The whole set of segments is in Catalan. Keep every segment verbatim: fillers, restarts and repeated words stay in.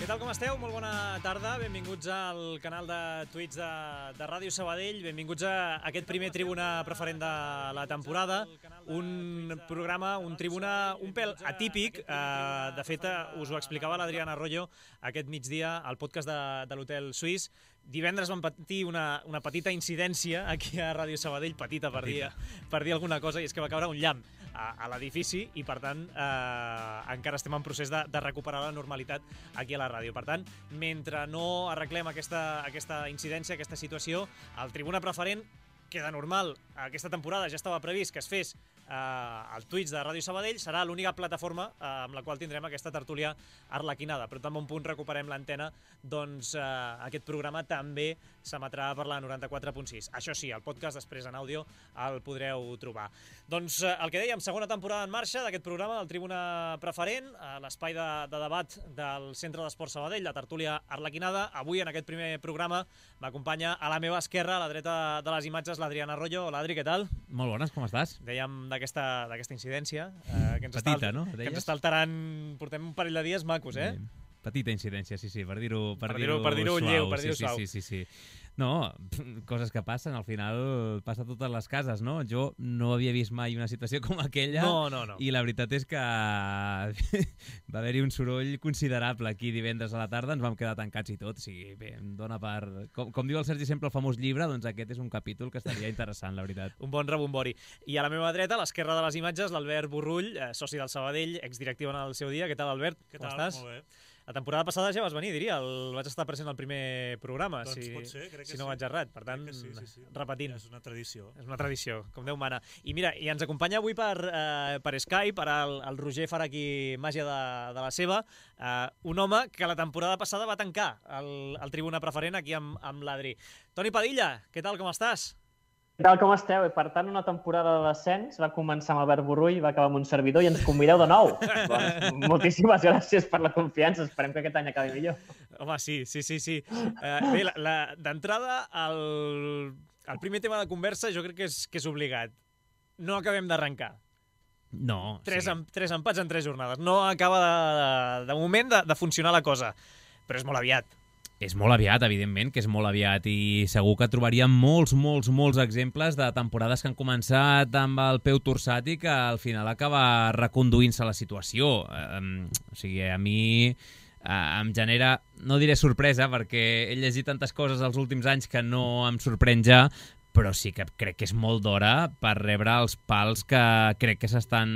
Què tal, com esteu? Molt bona tarda. Benvinguts al canal de Twitch de, de Ràdio Sabadell. Benvinguts a aquest primer Tribuna Preferent de la temporada. Un programa, un tribuna un pèl atípic. Eh, de fet, us ho explicava l'Adriana Arroyo aquest migdia al podcast de, de l'Hotel Suís. Divendres vam patir una, una petita incidència aquí a Ràdio Sabadell, petita per dir, per dir alguna cosa, i és que va caure un llamp a, a l'edifici i, per tant, eh, encara estem en procés de, de recuperar la normalitat aquí a la ràdio. Per tant, mentre no arreglem aquesta, aquesta incidència, aquesta situació, el Tribuna Preferent queda normal. Aquesta temporada ja estava previst que es fes eh, el Twitch de Ràdio Sabadell, serà l'única plataforma eh, amb la qual tindrem aquesta tertúlia arlequinada, però tan bon punt recuperem l'antena, doncs eh, aquest programa també s'emetrà per la noranta-quatre punt sis. Això sí, el podcast després en àudio el podreu trobar. Doncs eh, el que dèiem, segona temporada en marxa d'aquest programa del Tribuna Preferent, eh, l'espai de, de debat del Centre d'Esport Sabadell, la tertúlia arlequinada. Avui, en aquest primer programa, m'acompanya a la meva esquerra, a la dreta de les imatges, l'Adriana Arroyo. Hola, Adri, què tal? Molt bones, com estàs? Dèiem d'aquesta d'aquesta incidència. Eh, que ens Petita, està, no? Que ens està alterant, portem un parell de dies macos, eh? Bé. Petita incidència, sí, sí, per dir-ho per per dir-ho dir per dir-ho suau. lleu, per dir-ho sí, suau. Sí, sí, sí, sí. No, coses que passen, al final passa a totes les cases, no? Jo no havia vist mai una situació com aquella. No, no, no. I la veritat és que va haver-hi un soroll considerable aquí divendres a la tarda, ens vam quedar tancats i tot, o sigui, bé, em dona per... Com, com diu el Sergi sempre, el famós llibre, doncs aquest és un capítol que estaria interessant, la veritat. Un bon rebombori. I a la meva dreta, a l'esquerra de les imatges, l'Albert Borrull, eh, soci del Sabadell, exdirectiu en el seu dia. Què tal, Albert? Què Com tal? estàs? Molt bé. La temporada passada ja vas venir, diria. El vaig estar present al primer programa, Doncs si, pot ser, crec que si no sí. vaig errat. Per tant, sí, sí, sí. repetint. Ja és una tradició. És una tradició, com Déu mana. I mira, i ens acompanya avui per, eh, per Skype, per el, el Roger farà aquí màgia de, de la seva, eh, un home que la temporada passada va tancar el, el Tribuna Preferent aquí amb, amb l'Adri. Toni Padilla, què tal, com estàs? Què tal, com esteu? Per tant, una temporada de descens va començar amb Albert Borrull, va acabar amb un servidor i ens convideu de nou. Doncs, moltíssimes gràcies per la confiança. Esperem que aquest any acabi millor. Home, sí, sí, sí. sí. Eh, bé, la, la, d'entrada, el, el primer tema de conversa jo crec que és, que és obligat. No acabem d'arrencar. No, Tres, sí. em, tres empats en tres jornades. No acaba, de, de, de moment, de, de funcionar la cosa. Però és molt aviat. És molt aviat, evidentment, que és molt aviat, i segur que trobaríem molts, molts, molts exemples de temporades que han començat amb el peu torçat i que al final acaba reconduint-se la situació. Um, o sigui, a mi uh, em genera, no diré sorpresa, perquè he llegit tantes coses els últims anys que no em sorprèn ja, però sí que crec que és molt d'hora per rebre els pals que crec que s'estan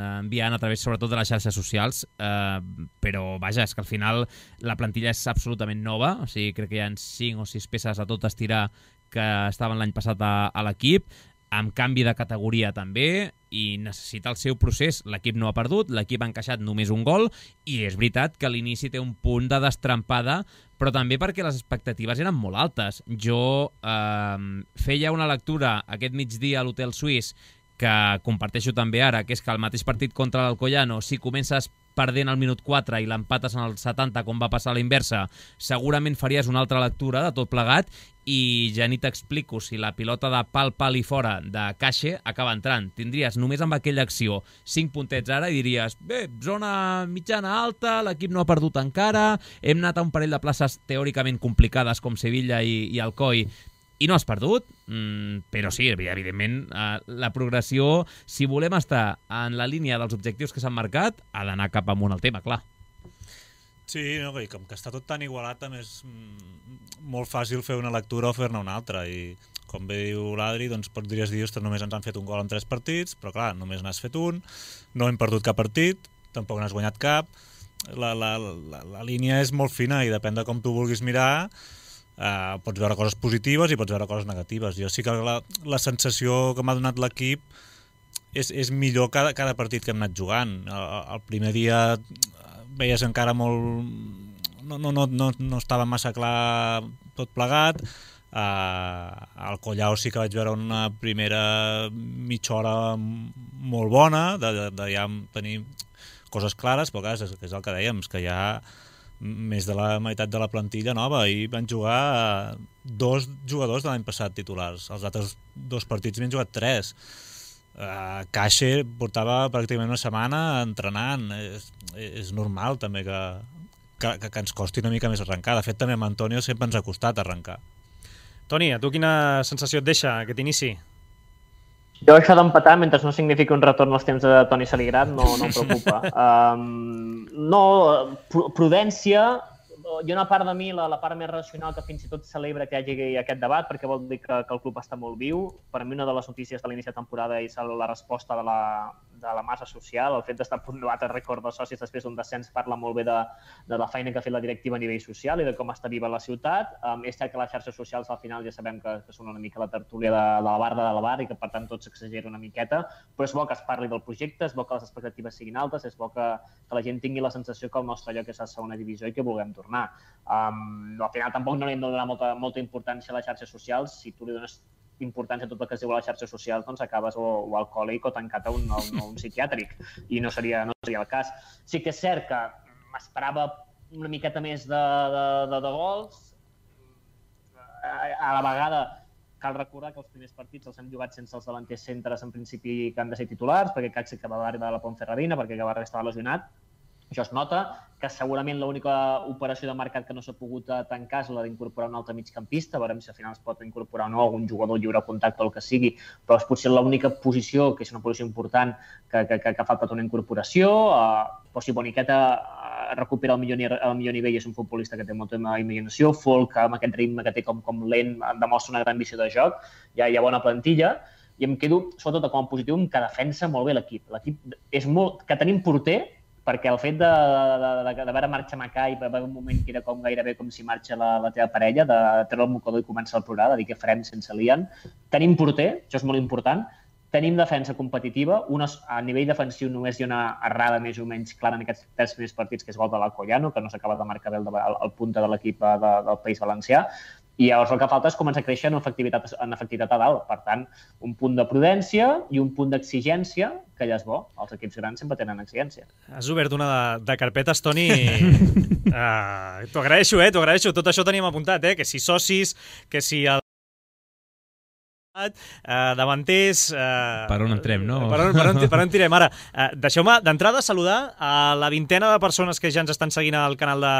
enviant a través, sobretot, de les xarxes socials, eh, però, vaja, és que al final la plantilla és absolutament nova, o sigui, crec que hi ha cinc o sis peces a tot estirar que estaven l'any passat a, a l'equip, amb canvi de categoria també, i necessita el seu procés. L'equip no ha perdut, l'equip ha encaixat només un gol, i és veritat que a l'inici té un punt de destrampada, però també perquè les expectatives eren molt altes. Jo eh, feia una lectura aquest migdia a l'Hotel Suís que comparteixo també ara, que és que el mateix partit contra l'Alcoyano, si comences perdent al minut quatre i l'empates en el setanta, com va passar a la inversa, segurament faries una altra lectura de tot plegat, i ja ni t'explico si la pilota de pal, pal i fora de Caixe acaba entrant. Tindries només amb aquella acció cinc puntets ara i diries, bé, zona mitjana alta, l'equip no ha perdut encara, hem anat a un parell de places teòricament complicades com Sevilla i, i Alcoi, i no has perdut, mm, però sí, evidentment, eh, la progressió, si volem estar en la línia dels objectius que s'han marcat, ha d'anar cap amunt el tema, clar. Sí, no, i com que està tot tan igualat, també és mm, molt fàcil fer una lectura o fer-ne una altra, i com bé diu l'Adri, doncs podries dir, ostres, només ens han fet un gol en tres partits, però clar, només n'has fet un, no hem perdut cap partit, tampoc n'has guanyat cap, la, la, la, la línia és molt fina i depèn de com tu vulguis mirar. Uh, pots veure coses positives i pots veure coses negatives. Jo sí que la, la sensació que m'ha donat l'equip és, és millor cada, cada partit que hem anat jugant. El, el primer dia veies encara molt... No, no, no, no, no estava massa clar tot plegat. Uh, al Collao sí que vaig veure una primera mitja hora molt bona, de, de, de ja tenir coses clares, però clar, és, és el que dèiem, és que ja més de la meitat de la plantilla nova, i van jugar dos jugadors de l'any passat titulars. Els altres dos partits m'han jugat tres. Uh, Caixe portava pràcticament una setmana entrenant. És, és normal també que, que, que, que ens costi una mica més arrencar. De fet, també amb Antonio sempre ens ha costat arrencar. Toni, a tu quina sensació et deixa aquest inici? Jo això d'empatar, mentre no signifiqui un retorn als temps de Toni Saligrat, no, no em preocupa. Um, no, prudència, hi ha una part de mi, la, la part més racional, que fins i tot celebra que hi hagi aquest debat, perquè vol dir que, que el club està molt viu. Per mi una de les notícies de l'inici de temporada és la resposta de la, de la massa social, el fet d'estar a punt de batre rècord de socis després d'un descens parla molt bé de, de la feina que ha fet la directiva a nivell social i de com està viva la ciutat. Um, és cert que les xarxes socials al final ja sabem que, que són una mica la tertúlia de, de la barda de la bar i que per tant tot s'exagera una miqueta, però és bo que es parli del projecte, és bo que les expectatives siguin altes, és bo que, que la gent tingui la sensació que el nostre lloc és a segona divisió i que vulguem tornar. Um, al final tampoc no li hem de donar molta, molta importància a les xarxes socials. Si tu li dones importància a tot el que es diu a les xarxes socials, doncs acabes o, o alcohòlic o tancat a un, a un, a un psiquiàtric, i no seria, no seria el cas. Sí que és cert que m'esperava una miqueta més de, de, de, de gols. A, a la vegada cal recordar que els primers partits els hem jugat sense els davanters centres en principi que han de ser titulars, perquè Caxi que va arribar a la Ponferradina, perquè que va estava lesionat. Això es nota, que segurament l'única operació de mercat que no s'ha pogut tancar és la d'incorporar un altre migcampista, veurem si al final es pot incorporar o no algun jugador lliure contacte o el que sigui, però és potser l'única posició, que és una posició important, que, que, que, que ha faltat una incorporació. Uh, però si Boniqueta uh, recupera el millor, el millor nivell, és un futbolista que té molta imaginació. Folk, amb aquest ritme que té com, com lent, demostra una gran visió de joc, hi ha, hi ha bona plantilla, i em quedo, sobretot com a positiu, que defensa molt bé l'equip. L'equip és molt... que tenim porter, perquè el fet de, de, de, de veure marxar Macai, va haver un moment que era com gairebé com si marxa la, la teva parella, de treure el mocador i començar a plorar, de dir què farem sense l'Ian. Tenim porter, això és molt important. Tenim defensa competitiva. Una, a nivell defensiu només hi ha una errada més o menys clara en aquests tres primers partits, que és gol de l'Alcoyano, que no s'acaba de marcar bé el, el, el punta de l'equip de, del País Valencià. I llavors el que falta és començar a créixer en efectivitat, en efectivitat a dalt. Per tant, un punt de prudència i un punt d'exigència, que ja és bo. Els equips grans sempre tenen exigència. Has obert una de, de carpetes, Toni. uh, t'ho agraeixo, eh? T'ho agraeixo. Tot això teníem apuntat, eh? Que si socis, que si el Uh, davanters... Uh, per on entrem, no? Per on, per on, per on tirem? Ara, uh, deixeu-me d'entrada saludar a la vintena de persones que ja ens estan seguint al canal de,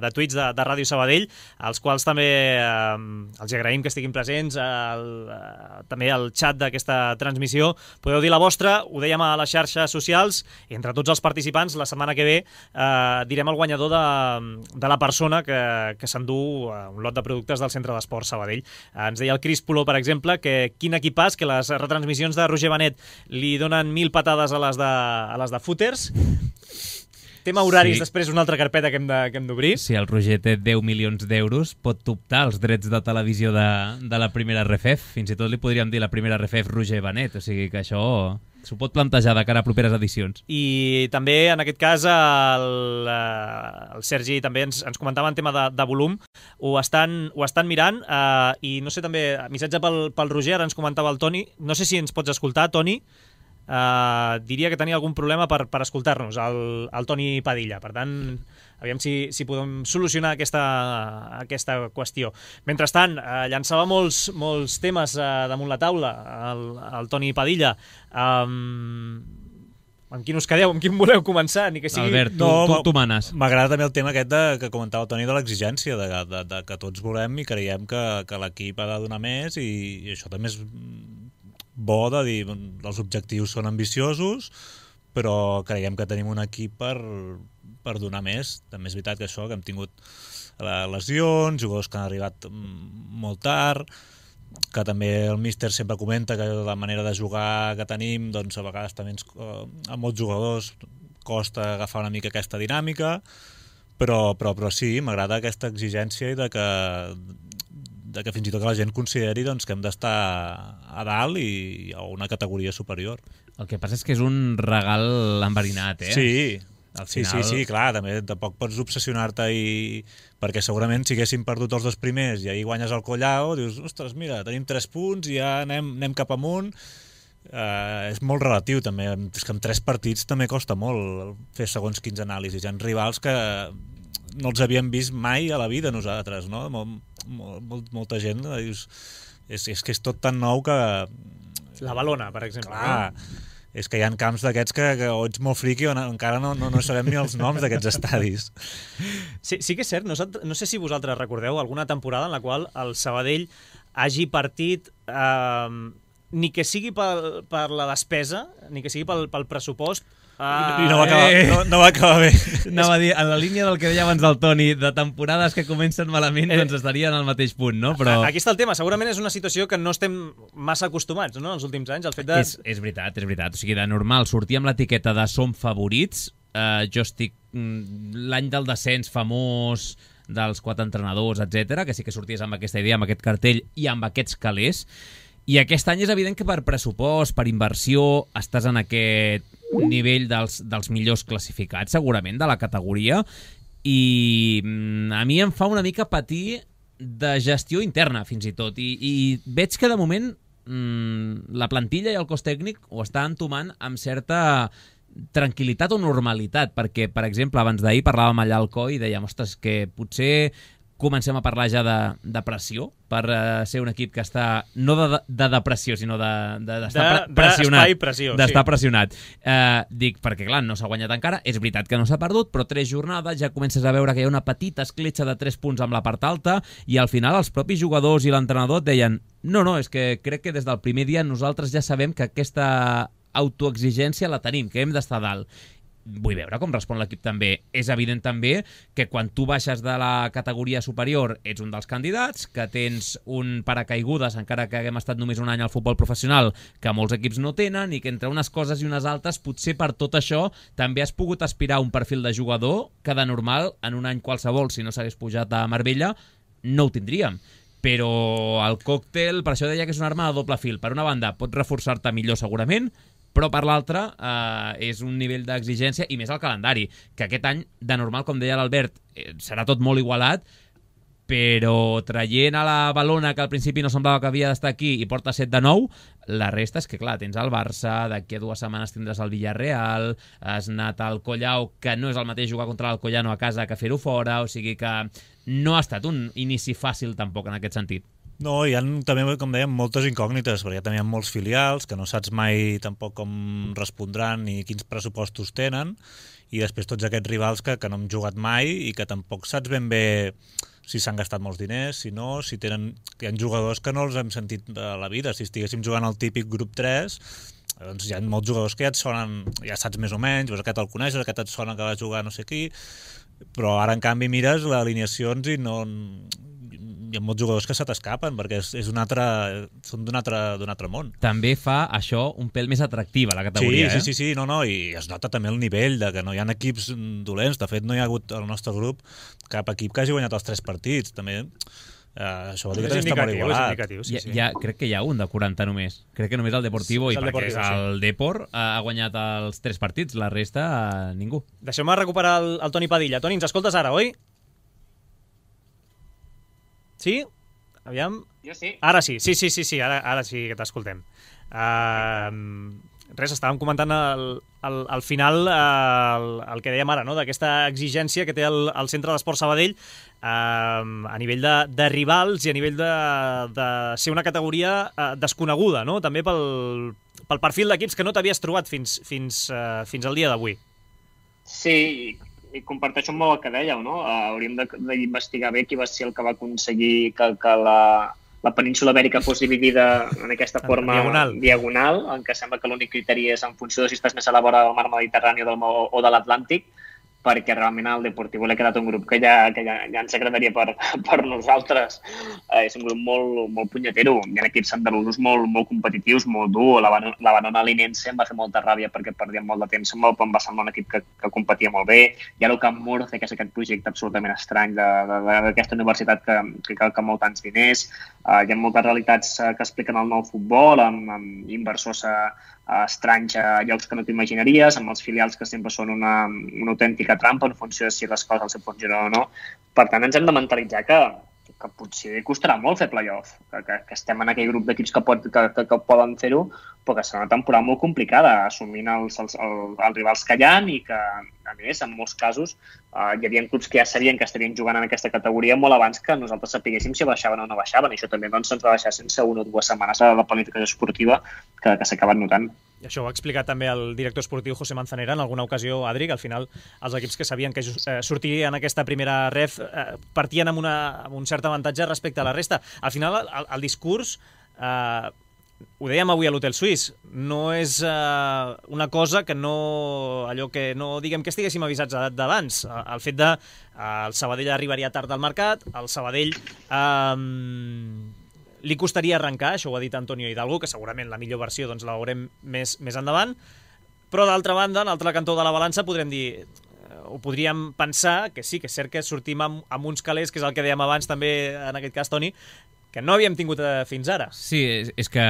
de Twitch de, de Ràdio Sabadell, als quals també uh, els agraïm que estiguin presents, el, uh, també al xat d'aquesta transmissió. Podeu dir la vostra, ho dèiem a les xarxes socials, i entre tots els participants, la setmana que ve uh, direm el guanyador de, de la persona que, que s'endú uh, un lot de productes del Centre d'Esports Sabadell. Uh, ens deia el Cris Puló, per exemple, que quin equipàs, que les retransmissions de Roger Benet li donen mil patades a les de, a les de footers. Tema horaris, sí. Després una altra carpeta que hem de, que hem d'obrir. Si el Roger té deu milions d'euros, pot optar als drets de televisió de, de la primera R F E F. Fins i tot li podríem dir la primera R F E F Roger Benet, o sigui que això s'ho pot plantejar de cara a properes edicions. I també, en aquest cas, el, el Sergi també ens, ens comentava en tema de, de volum. Ho estan, ho estan mirant eh, i no sé, també, missatge pel, pel Roger, ara ens comentava el Toni. No sé si ens pots escoltar, Toni. Uh, diria que tenia algun problema per, per escoltar-nos, el, el Toni Padilla. Per tant, aviam si, si podem solucionar aquesta, aquesta qüestió. Mentrestant, uh, llançava molts, molts temes uh, damunt la taula el, el Toni Padilla. Um, amb quin us quedeu? Amb quin voleu començar? Ni que sigui... Albert, tu, no, tu, tu manes. M'agrada també el tema aquest de, que comentava el Toni, de l'exigència, de, de, de que tots volem i creiem que, que l'equip ha de donar més, i, i això també és bo de dir, els objectius són ambiciosos, però creiem que tenim un equip per, per donar més. També és veritat que això, que hem tingut lesions, jugadors que han arribat molt tard, que també el míster sempre comenta que la manera de jugar que tenim, doncs a vegades també ens, a molts jugadors costa agafar una mica aquesta dinàmica, però, però, però sí, m'agrada aquesta exigència i de que de que fins i tot que la gent consideri doncs, que hem d'estar a dalt i a una categoria superior. El que passa és que és un regal enverinat, eh? Sí, al sí, final... sí, sí, clar, també tampoc pots obsessionar-te i... perquè segurament si haguéssim perdut els dos primers i ahir guanyes el Collao, dius, ostres, mira, tenim tres punts i ja anem, anem cap amunt. Uh, és molt relatiu també, és que en tres partits també costa molt fer segons quins anàlisis. Hi ha rivals que no els havíem vist mai a la vida nosaltres, no? Molt, molt, molta gent dius, és, és que és tot tan nou que... La Balona, per exemple. Clar, és que hi ha camps d'aquests que, que o ets molt friqui o no, encara no, no, no sabem ni els noms d'aquests estadis. Sí, sí que és cert, no, no sé si vosaltres recordeu alguna temporada en la qual el Sabadell hagi partit eh, ni que sigui per, per la despesa, ni que sigui pel, pel pressupost. Ah, I no va acabar, eh. no, no va acabar bé. Anava a dir, en la línia del que deia abans el Toni, de temporades que comencen malament, eh. doncs estarien al mateix punt, no? Però... Aquí està el tema, segurament és una situació que no estem massa acostumats, no?, en els últims anys. El fet de... és, és veritat, és veritat. O sigui, de normal, sortir amb l'etiqueta de som favorits, eh, jo estic... l'any del descens famós dels quatre entrenadors, etcètera, que sí que sorties amb aquesta idea, amb aquest cartell i amb aquests calés. I aquest any és evident que per pressupost, per inversió, estàs en aquest nivell dels, dels millors classificats, segurament, de la categoria, i a mi em fa una mica patir de gestió interna, fins i tot, i, i veig que de moment mmm, la plantilla i el cos tècnic ho està entomant amb certa tranquil·litat o normalitat, perquè, per exemple, abans d'ahir parlàvem allà al Coi i dèiem, ostres, que potser comencem a parlar ja de, de pressió per uh, ser un equip que està no de, de depressió, sinó d'estar de, de, de, pressionat. Pressió, d'estar sí. pressionat. Uh, dic, perquè clar, no s'ha guanyat encara, és veritat que no s'ha perdut, però tres jornades ja comences a veure que hi ha una petita escletxa de tres punts amb la part alta i al final els propis jugadors i l'entrenador et deien no, no, és que crec que des del primer dia nosaltres ja sabem que aquesta autoexigència la tenim, que hem d'estar dalt. Vull veure com respon l'equip també. És evident també que quan tu baixes de la categoria superior ets un dels candidats, que tens un paracaigudes, encara que haguem estat només un any al futbol professional, que molts equips no tenen, i que entre unes coses i unes altres, potser per tot això també has pogut aspirar a un perfil de jugador que de normal, en un any qualsevol, si no s'hagués pujat a Marbella, no ho tindríem. Però el còctel, per això deia que és una arma de doble fil. Per una banda, pot reforçar-te millor segurament, però per l'altra eh, és un nivell d'exigència i més el calendari, que aquest any, de normal, com deia l'Albert, eh, serà tot molt igualat, però traient a la Balona, que al principi no semblava que havia d'estar aquí, i porta set de nou, la resta és que, clar, tens el Barça, d'aquí a dues setmanes tindràs el Villarreal, has anat al Collau, que no és el mateix jugar contra l'Alcoyano a casa que fer-ho fora, o sigui que no ha estat un inici fàcil tampoc en aquest sentit. No, hi ha també, com dèiem, moltes incògnites, perquè també hi ha molts filials que no saps mai tampoc com respondran ni quins pressupostos tenen, i després tots aquests rivals que, que no hem jugat mai i que tampoc saps ben bé si s'han gastat molts diners, si no, si tenen... Hi ha jugadors que no els hem sentit a la vida. Si estiguéssim jugant al típic grup tres, doncs hi ha molts jugadors que ja et sonen, ja saps més o menys, doncs aquest el coneixes, aquest et sona que va jugar no sé qui, però ara en canvi mires les alineacions i no... hi ha molts jugadors que se t'escapen perquè és, és un altre, són d'un altre, d'un altre món. També fa això un pèl més atractiva, la categoria, sí, eh? Sí, sí, sí, no, no, i es nota també el nivell de que no hi ha equips dolents. De fet, no hi ha hagut al nostre grup cap equip que hagi guanyat els tres partits. També eh, això vol dir que està molt igualat. Sí, sí. Ja, ja, crec que hi ha un de quaranta només. Crec que només el Deportivo, sí, i el perquè Deportivo, és el sí. Depor, ha guanyat els tres partits, la resta eh, ningú. Deixeu-me recuperar el, el Toni Padilla. Toni, ens escoltes ara, oi? Sí? Aviam. Jo sí. Ara sí, sí, sí, sí, sí, ara, ara sí que t'escoltem. Uh, res, estàvem comentant al, al, al final uh, el, el que dèiem ara, no?, d'aquesta exigència que té el, el Centre d'Esport Sabadell uh, a nivell de, de rivals i a nivell de, de ser una categoria uh, desconeguda, no?, també pel, pel perfil d'equips que no t'havies trobat fins, fins, uh, fins al dia d'avui. Sí, i comparteixo molt el que dèieu, no? Uh, hauríem d'investigar bé qui va ser el que va aconseguir que, que la, la península Ibèrica fos dividida en aquesta forma diagonal. diagonal, en què sembla que l'únic criteri és en funció de si estàs més a la vora del mar Mediterrani o, del, o de l'Atlàntic, perquè realment al Deportivo l'ha quedat un grup que ja, que ja, ja ens agradaria per, per nosaltres. Eh, és un grup molt, molt punyetero. Hi ha equips andalusos molt, molt competitius, molt dur. La, la Banona Linense em va fer molta ràbia perquè perdíem molt de temps amb el, em va semblar un equip que, que competia molt bé. I ara el Camp Murcia, que és aquest projecte absolutament estrany d'aquesta universitat que, que cal que molt tants diners. Eh, hi ha moltes realitats que expliquen el nou futbol, amb, amb inversors a, a estranys a llocs que no t'imaginaries, amb els filials que sempre són una, una autèntica trampa en funció de si les coses els funcionen o no. Per tant, ens hem de mentalitzar que, que potser costarà molt fer play-off, que, que, que estem en aquell grup d'equips que, pot, que, que, que poden fer-ho, però que serà una temporada molt complicada, assumint els, els, els, els rivals que hi ha i que, a més, en molts casos, eh, hi havia clubs que ja sabien que estarien jugant en aquesta categoria molt abans que nosaltres sapiguéssim si baixaven o no baixaven. I això també doncs, ens va deixar sense una o dues setmanes de la planificació esportiva que, que s'ha acabat notant. i això ho ha explicat també el director esportiu José Manzanera en alguna ocasió, Adri, que al final els equips que sabien que eh, sortirien aquesta primera ref eh, partien amb, una, amb un cert avantatge respecte a la resta. Al final, el, el discurs... Eh, ho dèiem avui a l'Hotel Suís, no és uh, una cosa que no, allò que no diguem que estiguéssim avisats d'abans. El fet de uh, el Sabadell arribaria tard al mercat, el Sabadell um, li costaria arrencar, això ho ha dit Antonio Hidalgo, que segurament la millor versió doncs, la veurem més, més endavant, però d'altra banda, en l'altre cantó de la balança podrem dir, o podríem pensar que sí, que és cert que sortim amb, amb uns calés, que és el que dèiem abans també en aquest cas, Toni, que no havíem tingut eh, fins ara. Sí, és, és que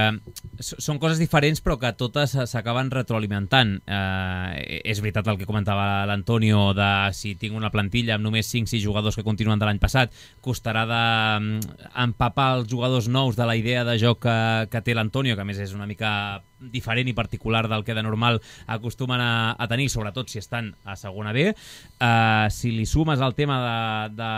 són coses diferents però que totes s'acaben retroalimentant. Eh, és veritat el que comentava l'Antonio de si tinc una plantilla amb només cinc sis jugadors que continuen de l'any passat, costarà d'empapar els jugadors nous de la idea de joc que, que té l'Antonio, que a més és una mica diferent i particular del que de normal acostumen a, a tenir, sobretot si estan a segona B. Eh, si li sumes el tema de... de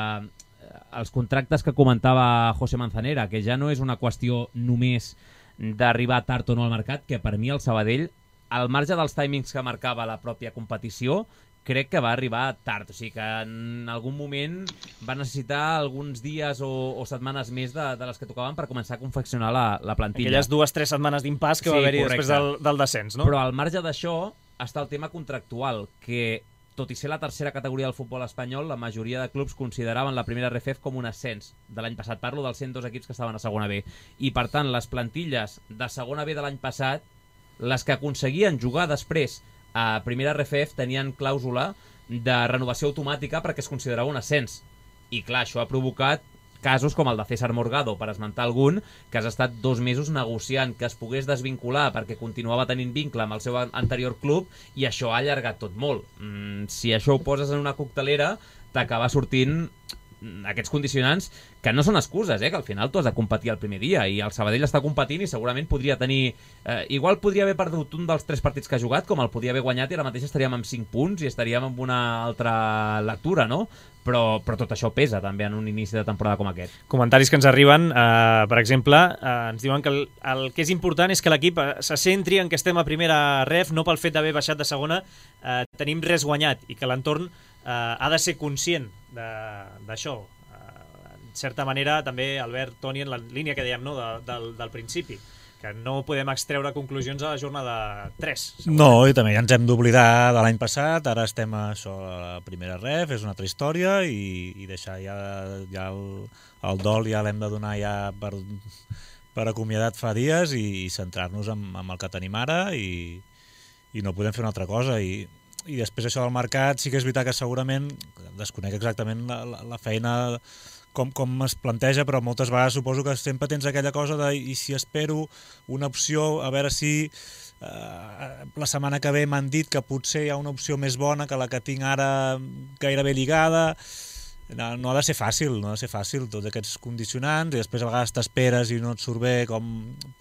els contractes que comentava José Manzanera, que ja no és una qüestió només d'arribar tard o no al mercat, que per mi el Sabadell, al marge dels timings que marcava la pròpia competició, crec que va arribar tard, o sigui que en algun moment va necessitar alguns dies o, o setmanes més de, de les que tocaven per començar a confeccionar la, la plantilla. Aquelles dues o tres setmanes d'impàs que sí, va haver-hi després del, del descens, no? Però al marge d'això està el tema contractual, que tot i ser la tercera categoria del futbol espanyol, la majoria de clubs consideraven la primera R F F com un ascens de l'any passat. Parlo dels cent dos equips que estaven a segona B. I, per tant, les plantilles de segona B de l'any passat, les que aconseguien jugar després a primera R F F, tenien clàusula de renovació automàtica perquè es considerava un ascens. I, clar, això ha provocat casos com el de César Morgado, per esmentar algun, que has estat dos mesos negociant que es pogués desvincular perquè continuava tenint vincle amb el seu anterior club, i això ha allargat tot molt. Mm, si això ho poses en una coctelera, t'acaba sortint aquests condicionants que no són excuses, eh? Que al final tu has de competir el primer dia, i el Sabadell està competint i segurament podria tenir... Eh, igual podria haver perdut un dels tres partits que ha jugat, com el podia haver guanyat, i ara mateix estaríem amb cinc punts i estaríem amb una altra lectura, no? Però, però tot això pesa també en un inici de temporada com aquest. Comentaris que ens arriben, eh, per exemple, eh, ens diuen que el, el que és important és que l'equip se centri en que estem a primera ref, no pel fet d'haver baixat de segona, eh, tenim res guanyat, i que l'entorn eh, ha de ser conscient d'això. Eh, en certa manera, també, Albert, Toni, en la línia que dèiem, no, de, del, del principi, que no podem extreure conclusions a la jornada tres. No, i també ja ens hem d'oblidar de l'any passat, ara estem a, això, a la primera ref, és una altra història, i, i deixar ja, ja el, el dol ja l'hem de donar ja per, per acomiadat fa dies, i, i centrar-nos en, en el que tenim ara, i, i no podem fer una altra cosa. I, i després això del mercat, sí que és veritat que segurament desconec exactament la, la, la feina Com, com es planteja, però moltes vegades suposo que sempre tens aquella cosa de i si espero una opció, a veure si eh, la setmana que ve m'han dit que potser hi ha una opció més bona que la que tinc ara gairebé lligada. No, no ha de ser fàcil, no ha de ser fàcil tots aquests condicionants, i després a vegades t'esperes i no et surt bé, com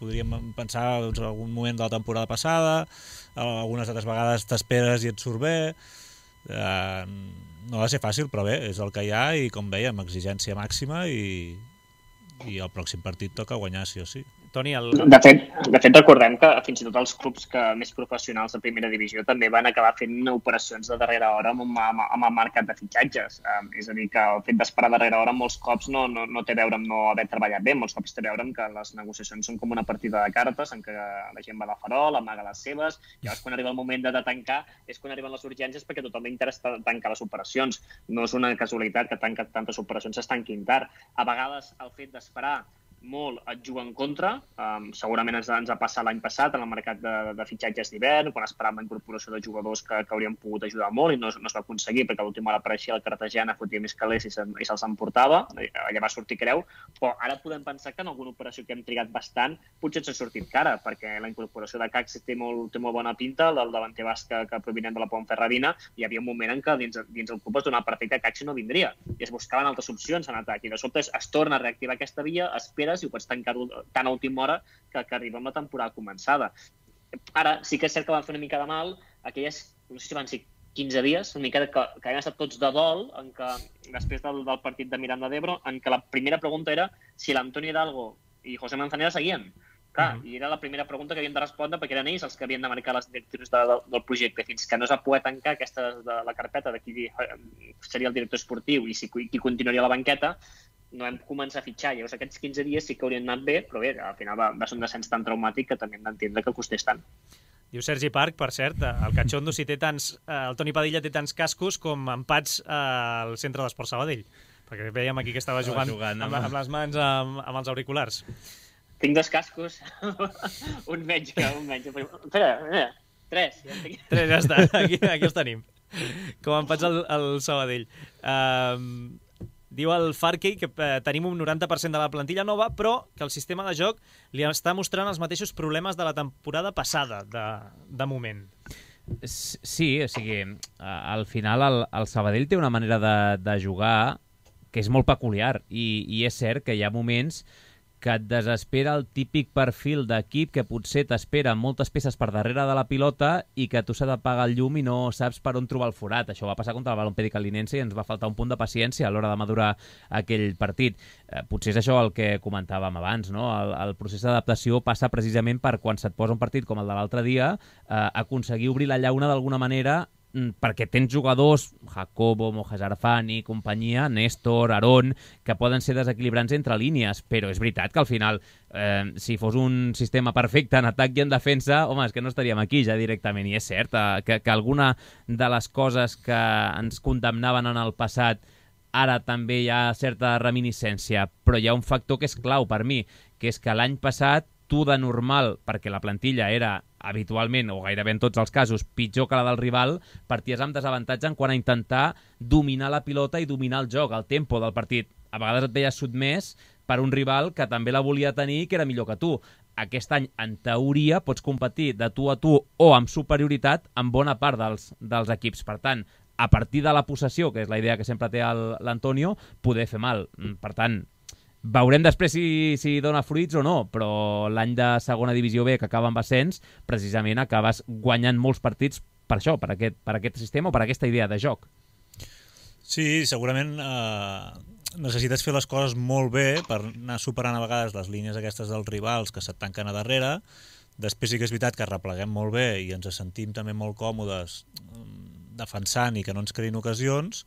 podríem pensar doncs, en algun moment de la temporada passada, algunes altres vegades t'esperes i et surt bé. Eh, no ha de ser fàcil, però bé, és el que hi ha, i com dèiem, exigència màxima, i, i el pròxim partit toca guanyar sí o sí. Toni, el... De fet, de fet, recordem que fins i tot els clubs que més professionals de primera divisió també van acabar fent operacions de darrera hora amb, amb, amb el mercat de fitxatges. Um, és a dir, que el fet d'esperar darrera hora molts cops no, no, no té a veure amb no haver treballat bé, molts cops té a veure amb que les negociacions són com una partida de cartes en què la gent va a la farol, amaga les seves, i llavors quan arriba el moment de, de tancar és quan arriben les urgències, perquè tothom li interessa tancar les operacions. No és una casualitat que tanca, tantes operacions es tanquin tard. A vegades el fet d'esperar molt et juga en contra. Um, segurament ens, ens ha passat l'any passat en el mercat de, de fitxatges d'hivern, quan esperàvem la incorporació de jugadors que, que haurien pogut ajudar molt, i no, no es va aconseguir perquè a l'última hora apareixia el Cartagena, fotia més calés i, se, i se'ls emportava. Allà va sortir creu, però ara podem pensar que en alguna operació que hem trigat bastant potser ens ha sortit cara, perquè la incorporació de Cax té molt, té molt bona pinta, el del davanter basc que, que provinent de la Ponferradina. Hi havia un moment en què dins, dins el club es donava per fet que Cax no vindria i es buscaven altres opcions en atac, i de sobte es, es torna a reactivar aquesta via, espera i ho pots tancar-ho tan a última hora que, que arriba amb la temporada començada. Ara, sí que és cert que van fer una mica de mal aquelles, no sé si van ser quinze dies, una mica que, que havien estat tots de dol, en què, després del, del partit de Miranda d'Ebro, en què la primera pregunta era si l'Antonio Hidalgo i José Manzanera seguien. Clar, Mhm. i era la primera pregunta que havien de respondre perquè eren ells els que havien de marcar les directrius de, de, del projecte. Fins que no es va poder tancar aquesta de la carpeta de qui eh, seria el director esportiu i si, qui continuaria a la banqueta, no vam començar a fitxar. Llavors aquests quinze dies sí que haurien anat bé, però bé, al final va, va ser un descens tan traumàtic que també hem d'entendre que costés tant. Diu Sergi Parc, per cert, el Cachondo si té tants... Eh, el Toni Padilla té tants cascos com empats eh, al centre d'Esport Sabadell. Perquè veiem aquí que estava jugant, jugant amb, amb- amb les mans amb, amb els auriculars. Tinc dos cascos, un menys que un menys. Espera, espera, tres. Ja en tinc. Tres, ja està, aquí, aquí els tenim. Com empats al, al Sabadell. Um, diu el Farkey que eh, tenim un noranta per cent de la plantilla nova, però que el sistema de joc li està mostrant els mateixos problemes de la temporada passada, de, de moment. Sí, o sigui, al final el, el Sabadell té una manera de, de jugar que és molt peculiar i, i és cert que hi ha moments que et desespera el típic perfil d'equip que potser t'espera moltes peces per darrere de la pilota i que tu s'ha d'apagar el llum i no saps per on trobar el forat. Això va passar contra el Balompié Calinense i ens va faltar un punt de paciència a l'hora de madurar aquell partit. Eh, potser és això el que comentàvem abans, no? El, el procés d'adaptació passa precisament per quan se't posa un partit com el de l'altre dia, eh, aconseguir obrir la llauna d'alguna manera perquè tens jugadors, Jacobo, Mojas Arfani, companyia, Néstor, Aarón, que poden ser desequilibrants entre línies, però és veritat que al final, eh, si fos un sistema perfecte en atac i en defensa, home, és que no estaríem aquí ja directament, i és cert eh, que, que alguna de les coses que ens condemnaven en el passat ara també hi ha certa reminiscència, però hi ha un factor que és clau per mi, que és que l'any passat tu de normal, perquè la plantilla era habitualment, o gairebé en tots els casos, pitjor que la del rival, parties amb desavantatge en quant a intentar dominar la pilota i dominar el joc, el tempo del partit. A vegades et veies sotmès per un rival que també la volia tenir i que era millor que tu. Aquest any, en teoria, pots competir de tu a tu o amb superioritat en bona part dels, dels equips. Per tant, a partir de la possessió, que és la idea que sempre té l'Antonio, poder fer mal. Per tant, veurem després si, si dona fruits o no, però l'any de segona divisió B que acaba amb ascens, precisament acabes guanyant molts partits per això, per aquest, per aquest sistema o per aquesta idea de joc. Sí, segurament eh, necessites fer les coses molt bé per anar superant a vegades les línies aquestes dels rivals que se't tanquen a darrere. Després sí que és veritat que repleguem molt bé i ens sentim també molt còmodes defensant i que no ens creïn ocasions,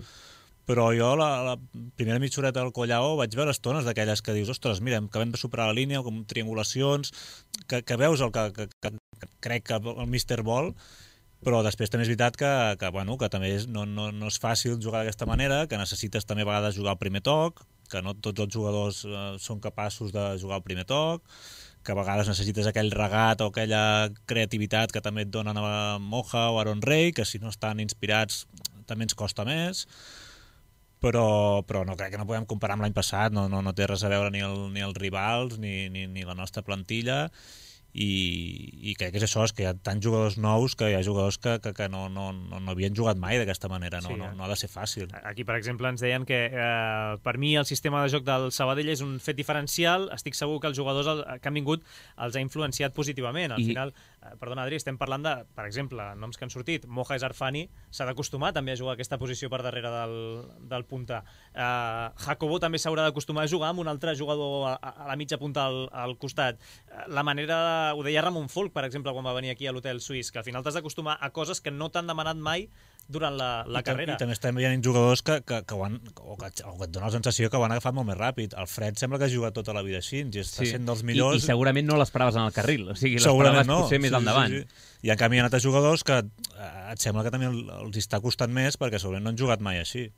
però jo la, la primera mitjoreta del Collao vaig veure estones d'aquelles que dius, ostres, mira, acabem de superar la línia, com triangulacions, que, que veus el que, que, que, que crec que el míster vol, però després també és veritat que, que, bueno, que també és, no, no, no és fàcil jugar d'aquesta manera, que necessites també a vegades jugar al primer toc, que no tots els jugadors eh, són capaços de jugar al primer toc, que a vegades necessites aquell regat o aquella creativitat que també et donen a Moja o Aaron Rey, que si no estan inspirats també ens costa més. Però, però no crec que no podem comparar amb l'any passat, no, no, no té res a veure ni, el, ni els rivals ni, ni, ni la nostra plantilla i, i crec que és això, és que hi ha tants jugadors nous que hi ha jugadors que, que, que no, no, no, no havien jugat mai d'aquesta manera, no, Sí, no, eh? no ha de ser fàcil. Aquí, per exemple, ens deien que eh, per mi el sistema de joc del Sabadell és un fet diferencial. Estic segur que els jugadors el, que han vingut els ha influenciat positivament. Al I... final, eh, perdona, Adri, estem parlant de, per exemple, noms que han sortit. Mojas Arfani s'ha d'acostumar també a jugar aquesta posició per darrere del, del punta. Eh, Jacobo també s'haurà d'acostumar a jugar amb un altre jugador a, a la mitja punta al, al costat. Eh, la manera, de, ho deia Ramon Folk, per exemple, quan va venir aquí a l'hotel suís, que al final t'has d'acostumar a coses que no t'han demanat mai durant la, la I, carrera. I també estem veient jugadors que, que, que, ho han, o que, o que et dona la sensació que ho han agafat molt més ràpid. El Fred sembla que ha jugat tota la vida així, i està Sí. sent dels millors. I, I segurament no l'esperaves en el carril, o sigui, Segurament l'esperaves no. potser més sí, endavant. Sí, sí. I en canvi hi ha altres jugadors que eh, et sembla que també el- els està costant més perquè segurament no han jugat mai així.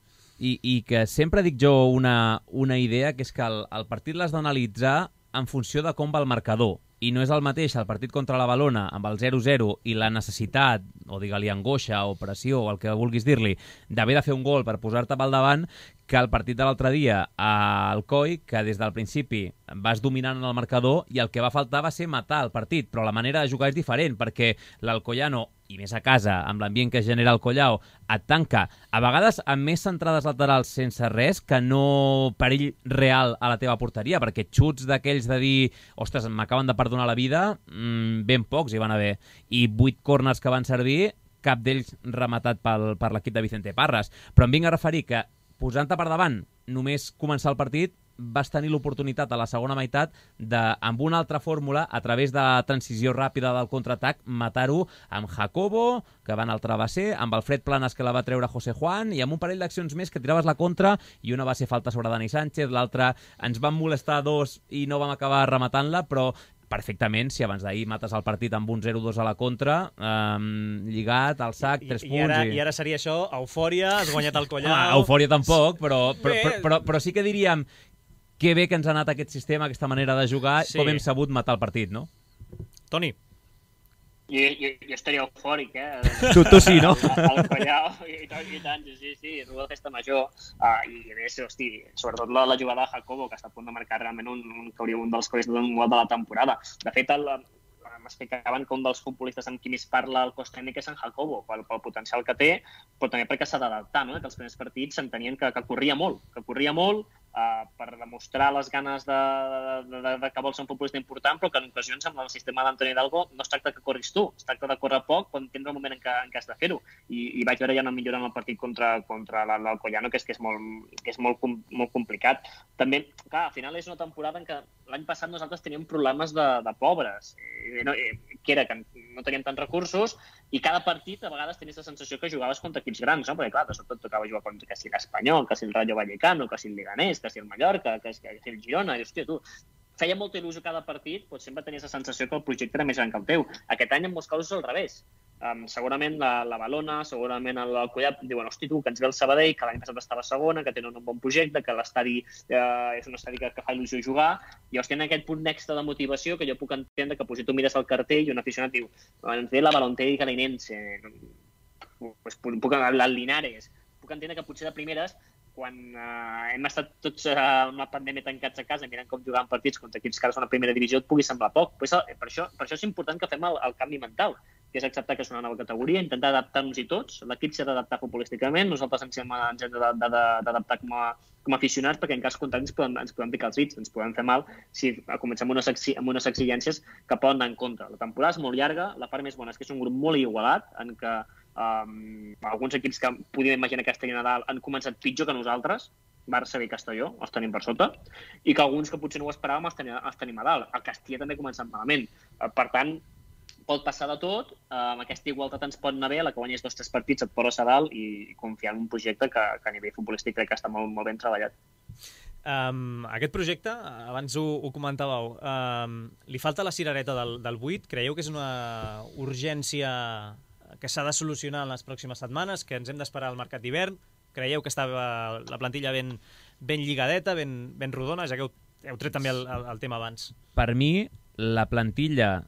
I, i que sempre dic jo una, una idea, que és que el, el partit l'has d'analitzar en funció de com va el marcador. I no és el mateix el partit contra la Valona amb el zero zero i la necessitat, o digue-li angoixa o pressió, o el que vulguis dir-li, d'haver de fer un gol per posar-te pel davant, que el partit de l'altre dia al Coi, que des del principi vas dominant en el marcador i el que va faltar va ser matar el partit, però la manera de jugar és diferent, perquè l'Alcoyano, i més a casa, amb l'ambient que genera el Collao, et tanca, a vegades amb més centrades laterals sense res que no perill real a la teva porteria, perquè xuts d'aquells de dir, ostres, m'acaben de perdonar la vida, mmm, ben pocs hi van haver, i vuit corners que van servir, cap d'ells rematat pel, per l'equip de Vicente Parras. Però em vinc a referir que posant-te per davant, només començar el partit, vas tenir l'oportunitat a la segona meitat de, amb una altra fórmula, a través de la transició ràpida del contraatac, matar-ho amb Jacobo, que va anar al travesser, amb el Fred Planas, que la va treure José Juan, i amb un parell d'accions més que tiraves la contra, i una va ser falta sobre Dani Sánchez, l'altra ens van molestar dos i no vam acabar rematant-la, però perfectament, si abans d'ahir mates el partit amb un zero dos a la contra, eh, lligat, al sac, tres I, punts... I ara, i... I ara seria això, eufòria, has guanyat el collau... Ah, eufòria tampoc, però, però, però, però, però sí que diríem que bé que ens ha anat aquest sistema, aquesta manera de jugar, sí. Com hem sabut matar el partit, no? Toni. Jo, jo, jo estaria eufòric, eh? Tu, tu sí, no? El collau, i, i tant, sí, sí, és una festa major. Uh, I a més, hosti, sobretot la, la jugada de Jacobo, que està a punt de marcar realment un, un, un dels que hauria estat un gol de la temporada. De fet, el, m'explicaven que un dels futbolistes amb qui més parla el cos tècnic és en Jacobo, pel, pel potencial que té, però també perquè s'ha d'adaptar, no? Que els primers partits s'entenien que, que corria molt, que corria molt, Uh, per demostrar les ganes de, de, de, de que vol ser un futbolista important, però que en ocasions amb el sistema d'Antoni Hidalgo no es tracta que corris tu, es tracta de córrer poc quan tens el moment en què, en què has de fer-ho. I, i vaig veure ja una millora en el partit contra, contra l'Alcoyano, que és, que és, molt, que és molt, molt complicat. També, clar, al final és una temporada en què l'any passat nosaltres teníem problemes de, de pobres, eh, no, eh, que era que no teníem tants recursos, i cada partit a vegades tenies la sensació que jugaves contra equips grans, no? Perquè clar, de sobte tocava jugar contra que si l'Espanyol, que si el Rayo Vallecano, que si el Leganés, que si el Mallorca, que si el Girona, i hòstia, tu, feia molta il·lusió cada partit, però sempre tenies la sensació que el projecte era més gran que el teu. Aquest any en molts casos és al revés. Um, segurament la, la Balona, segurament el Collat diuen, hosti tu, que ens ve el Sabadell, que l'any passat estava segona, que tenen un bon projecte, que l'estadi eh, és un estadi que, que fa il·lusió jugar, i llavors tenen aquest punt extra de motivació que jo puc entendre que si tu mires el cartell i un aficionat diu, ens ve la Balonté i Calinense, pues, puc el Linares, puc entendre que potser de primeres quan eh, hem estat tots eh, amb la pandèmia tancats a casa mirant com jugaven partits contra equips que ara són a primera divisió et pugui semblar poc. Pues, per, això, per això és important que fem el, el canvi mental, que és acceptar que és una nova categoria, intentar adaptar-nos-hi tots. L'equip s'ha d'adaptar futbolísticament, nosaltres ens hem, ens hem d'adaptar com, a, com a aficionats, perquè en cas contrari ens podem, ens podem picar els dits, ens podem fer mal si comencem amb unes, amb unes exigències que poden anar en contra. La temporada és molt llarga, la part més bona és que és un grup molt igualat, en què um, alguns equips que podíem imaginar que estarien a dalt han començat pitjor que nosaltres, Barça i Castelló, els tenim per sota, i que alguns que potser no ho esperàvem els tenim, els tenim a dalt. El Castilla també ha començat malament. Per tant, pot passar de tot, amb aquesta igualtat ens pot anar bé, la que guanyes dos o tres partits et poses a dalt i confiar en un projecte que, que a nivell futbolístic crec que està molt, molt ben treballat. Um, aquest projecte, abans ho, ho comentàveu, um, li falta la cirereta del, del vuit? Creieu que és una urgència que s'ha de solucionar en les pròximes setmanes, que ens hem d'esperar al mercat d'hivern? Creieu que està la plantilla ben, ben lligadeta, ben, ben rodona, ja que heu, heu tret també el, el, el tema abans? Per mi, la plantilla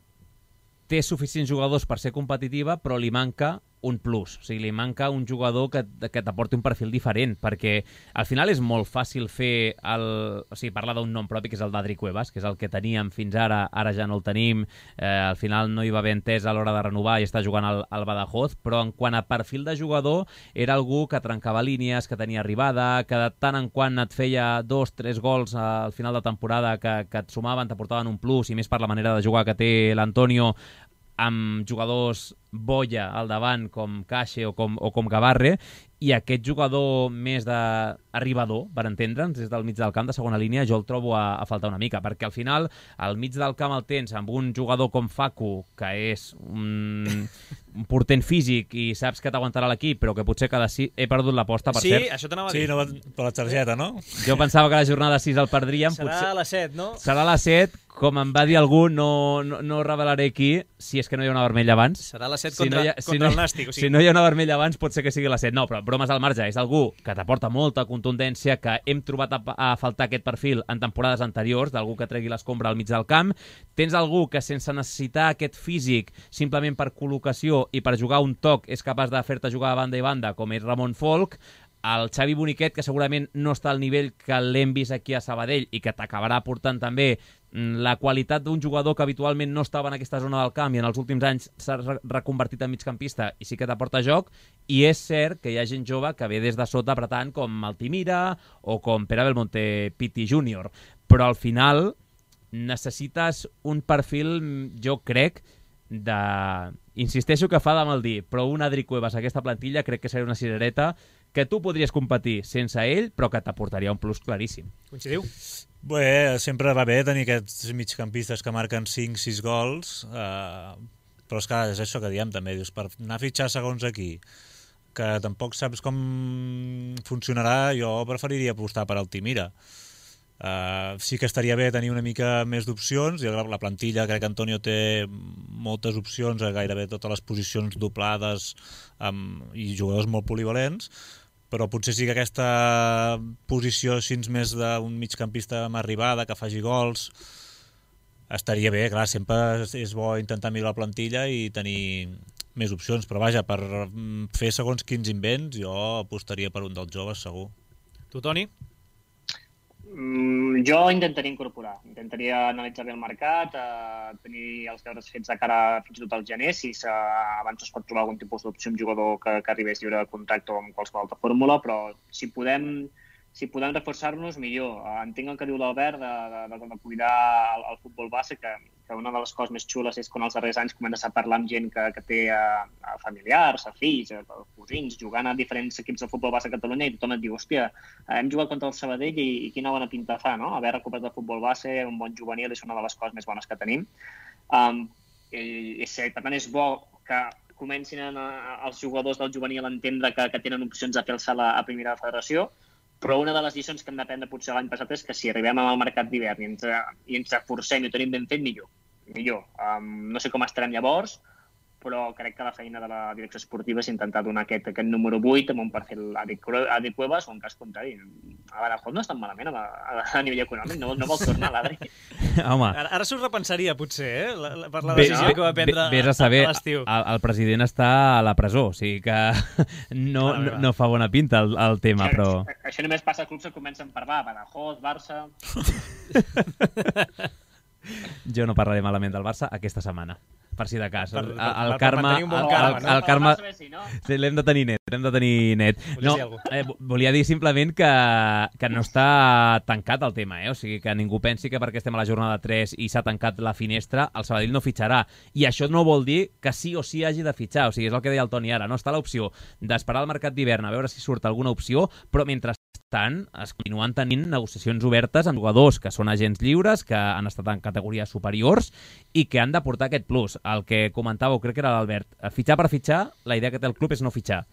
té suficients jugadors per ser competitiva, però li manca un plus, o sigui, li manca un jugador que, que t'aporti un perfil diferent, perquè al final és molt fàcil fer el... O sigui, parlar d'un nom propi, que és el d'Adri Cuevas, que és el que teníem fins ara, ara ja no el tenim, eh, al final no hi va haver entès a l'hora de renovar i està jugant al, al Badajoz, però en quant a perfil de jugador, era algú que trencava línies, que tenia arribada, que de tant en quant et feia dos, tres gols al final de temporada que, que et sumaven, t'aportaven un plus, i més per la manera de jugar que té l'Antonio, amb jugadors boia al davant com Caixe o com, o com Gavarre, i aquest jugador més d'arribador, per entendre'ns, des del mig del camp de segona línia, jo el trobo a, a faltar una mica, perquè al final al mig del camp el tens amb un jugador com Facu, que és un, un portent físic i saps que t'aguantarà l'equip, però que potser cada sis... He perdut l'aposta, per sí, cert. Sí, això t'anava a dir. Sí, no, per la targeta, no? Jo pensava que la jornada sis el perdríem. Serà potser... a les set, no? Serà a les set, com em va dir algú, no, no, no revelaré qui, si és que no hi ha una vermella abans. Serà a les set si contra, no ha, contra si no, el Nàstic. O sigui... Si no hi ha una vermella abans, pot ser que sigui a les set. No, però bromes al marge, és algú que t'aporta molta contundència, que hem trobat a, a faltar aquest perfil en temporades anteriors, d'algú que tregui l'escombra al mig del camp. Tens algú que sense necessitar aquest físic, simplement per col·locació i per jugar un toc, és capaç de fer-te jugar a banda i banda, com és Ramon Folk. El Xavi Boniquet, que segurament no està al nivell que l'hem vist aquí a Sabadell i que t'acabarà portant també la qualitat d'un jugador que habitualment no estava en aquesta zona del camp i en els últims anys s'ha reconvertit en migcampista i sí que t'aporta joc, i és cert que hi ha gent jove que ve des de sota apretant com Altimira o com Pere Belmonte Pitti júnior, però al final necessites un perfil, jo crec, de... Insisteixo que fa de mal dir, però un Adri Cuevas a aquesta plantilla crec que seria una cirereta que tu podries competir sense ell, però que t'aportaria un plus claríssim. Coincidiu? Bé, sempre va bé tenir aquests migcampistes que marquen cinc sis gols, eh, però és que és això que diem també, dius, per anar a fitxar segons aquí, que tampoc saps com funcionarà, jo preferiria apostar per Altimira. Uh, sí que estaria bé tenir una mica més d'opcions, i la plantilla crec que Antonio té moltes opcions a gairebé totes les posicions doblades um, i jugadors molt polivalents, però potser sí que aquesta posició així més d'un migcampista amb arribada, que faci gols, estaria bé. Clar, sempre és bo intentar millorar la plantilla i tenir més opcions, però vaja, per fer segons quins invents jo apostaria per un dels joves, segur. Tu, Toni? Mm, jo intentaria incorporar, intentaria analitzar bé el mercat, eh, tenir els deures fets de cara fins i tot al gener, si abans es pot trobar algun tipus d'opció un jugador que, que arribés lliure de contracte o amb qualsevol altra fórmula, però si podem, si podem reforçar-nos, millor. Eh, entenc el que diu l'Albert de, de, de, de cuidar el, el futbol base, que, que una de les coses més xules és quan els darrers anys comença a parlar amb gent que, que té a, a familiars, a fills, a, a cosins, jugant a diferents equips de futbol base a Catalunya, i tothom et diu, hòstia, hem jugat contra el Sabadell i, i quina bona pinta fa, no? Haver recuperat el futbol base, un bon juvenil, és una de les coses més bones que tenim. Um, i, i, per tant, és bo que comencin a, els jugadors del juvenil a entendre que, que tenen opcions de fer el salt a, a primera federació, però una de les lliçons que hem d'aprendre potser l'any passat és que si arribem al mercat d'hivern i ens, i ens reforcem i ho tenim ben fet, millor. millor. Um, no sé com estarem llavors, però crec que la feina de la direcció esportiva és intentar donar aquest, aquest número vuit amb un perfil Adi Cuevas o en cas contrari. A Badajoz no està malament a, a, a nivell econòmic, no, no vol tornar l'Adri. Home, Ara, ara s'ho repensaria, potser, eh? La, la, per la Bé, decisió no? que va prendre Vés a saber, a l'estiu. el, el president està a la presó, o sigui que no, Mare meva. no, no fa bona pinta el, el tema, Això, però... això només passa a clubs que comencen per va, Badajoz, Barça... Jo no parlaré malament del Barça aquesta setmana, per si de cas. Per- El, per- el per karma... mantenir un bon el, karma, el, no? el karma... Per Barça, no? Sí, l'hem de tenir net, l'hem de tenir net. Volies No, dir alguna eh, volia dir simplement que, que no està tancat el tema, eh? O sigui, que ningú pensi que perquè estem a la jornada tres i s'ha tancat la finestra, el Sabadell no fitxarà. I això no vol dir que sí o sí hagi de fitxar. O sigui, és el que deia el Toni ara, no? Està l'opció d'esperar el mercat d'hivern a veure si surt alguna opció, però mentrestant es continuen tenint negociacions obertes amb jugadors que són agents lliures, que han estat en categories superiors i que han de portar aquest plus. El que comentàveu, crec que era l'Albert, fitxar per fitxar, la idea que té el club és no fitxar.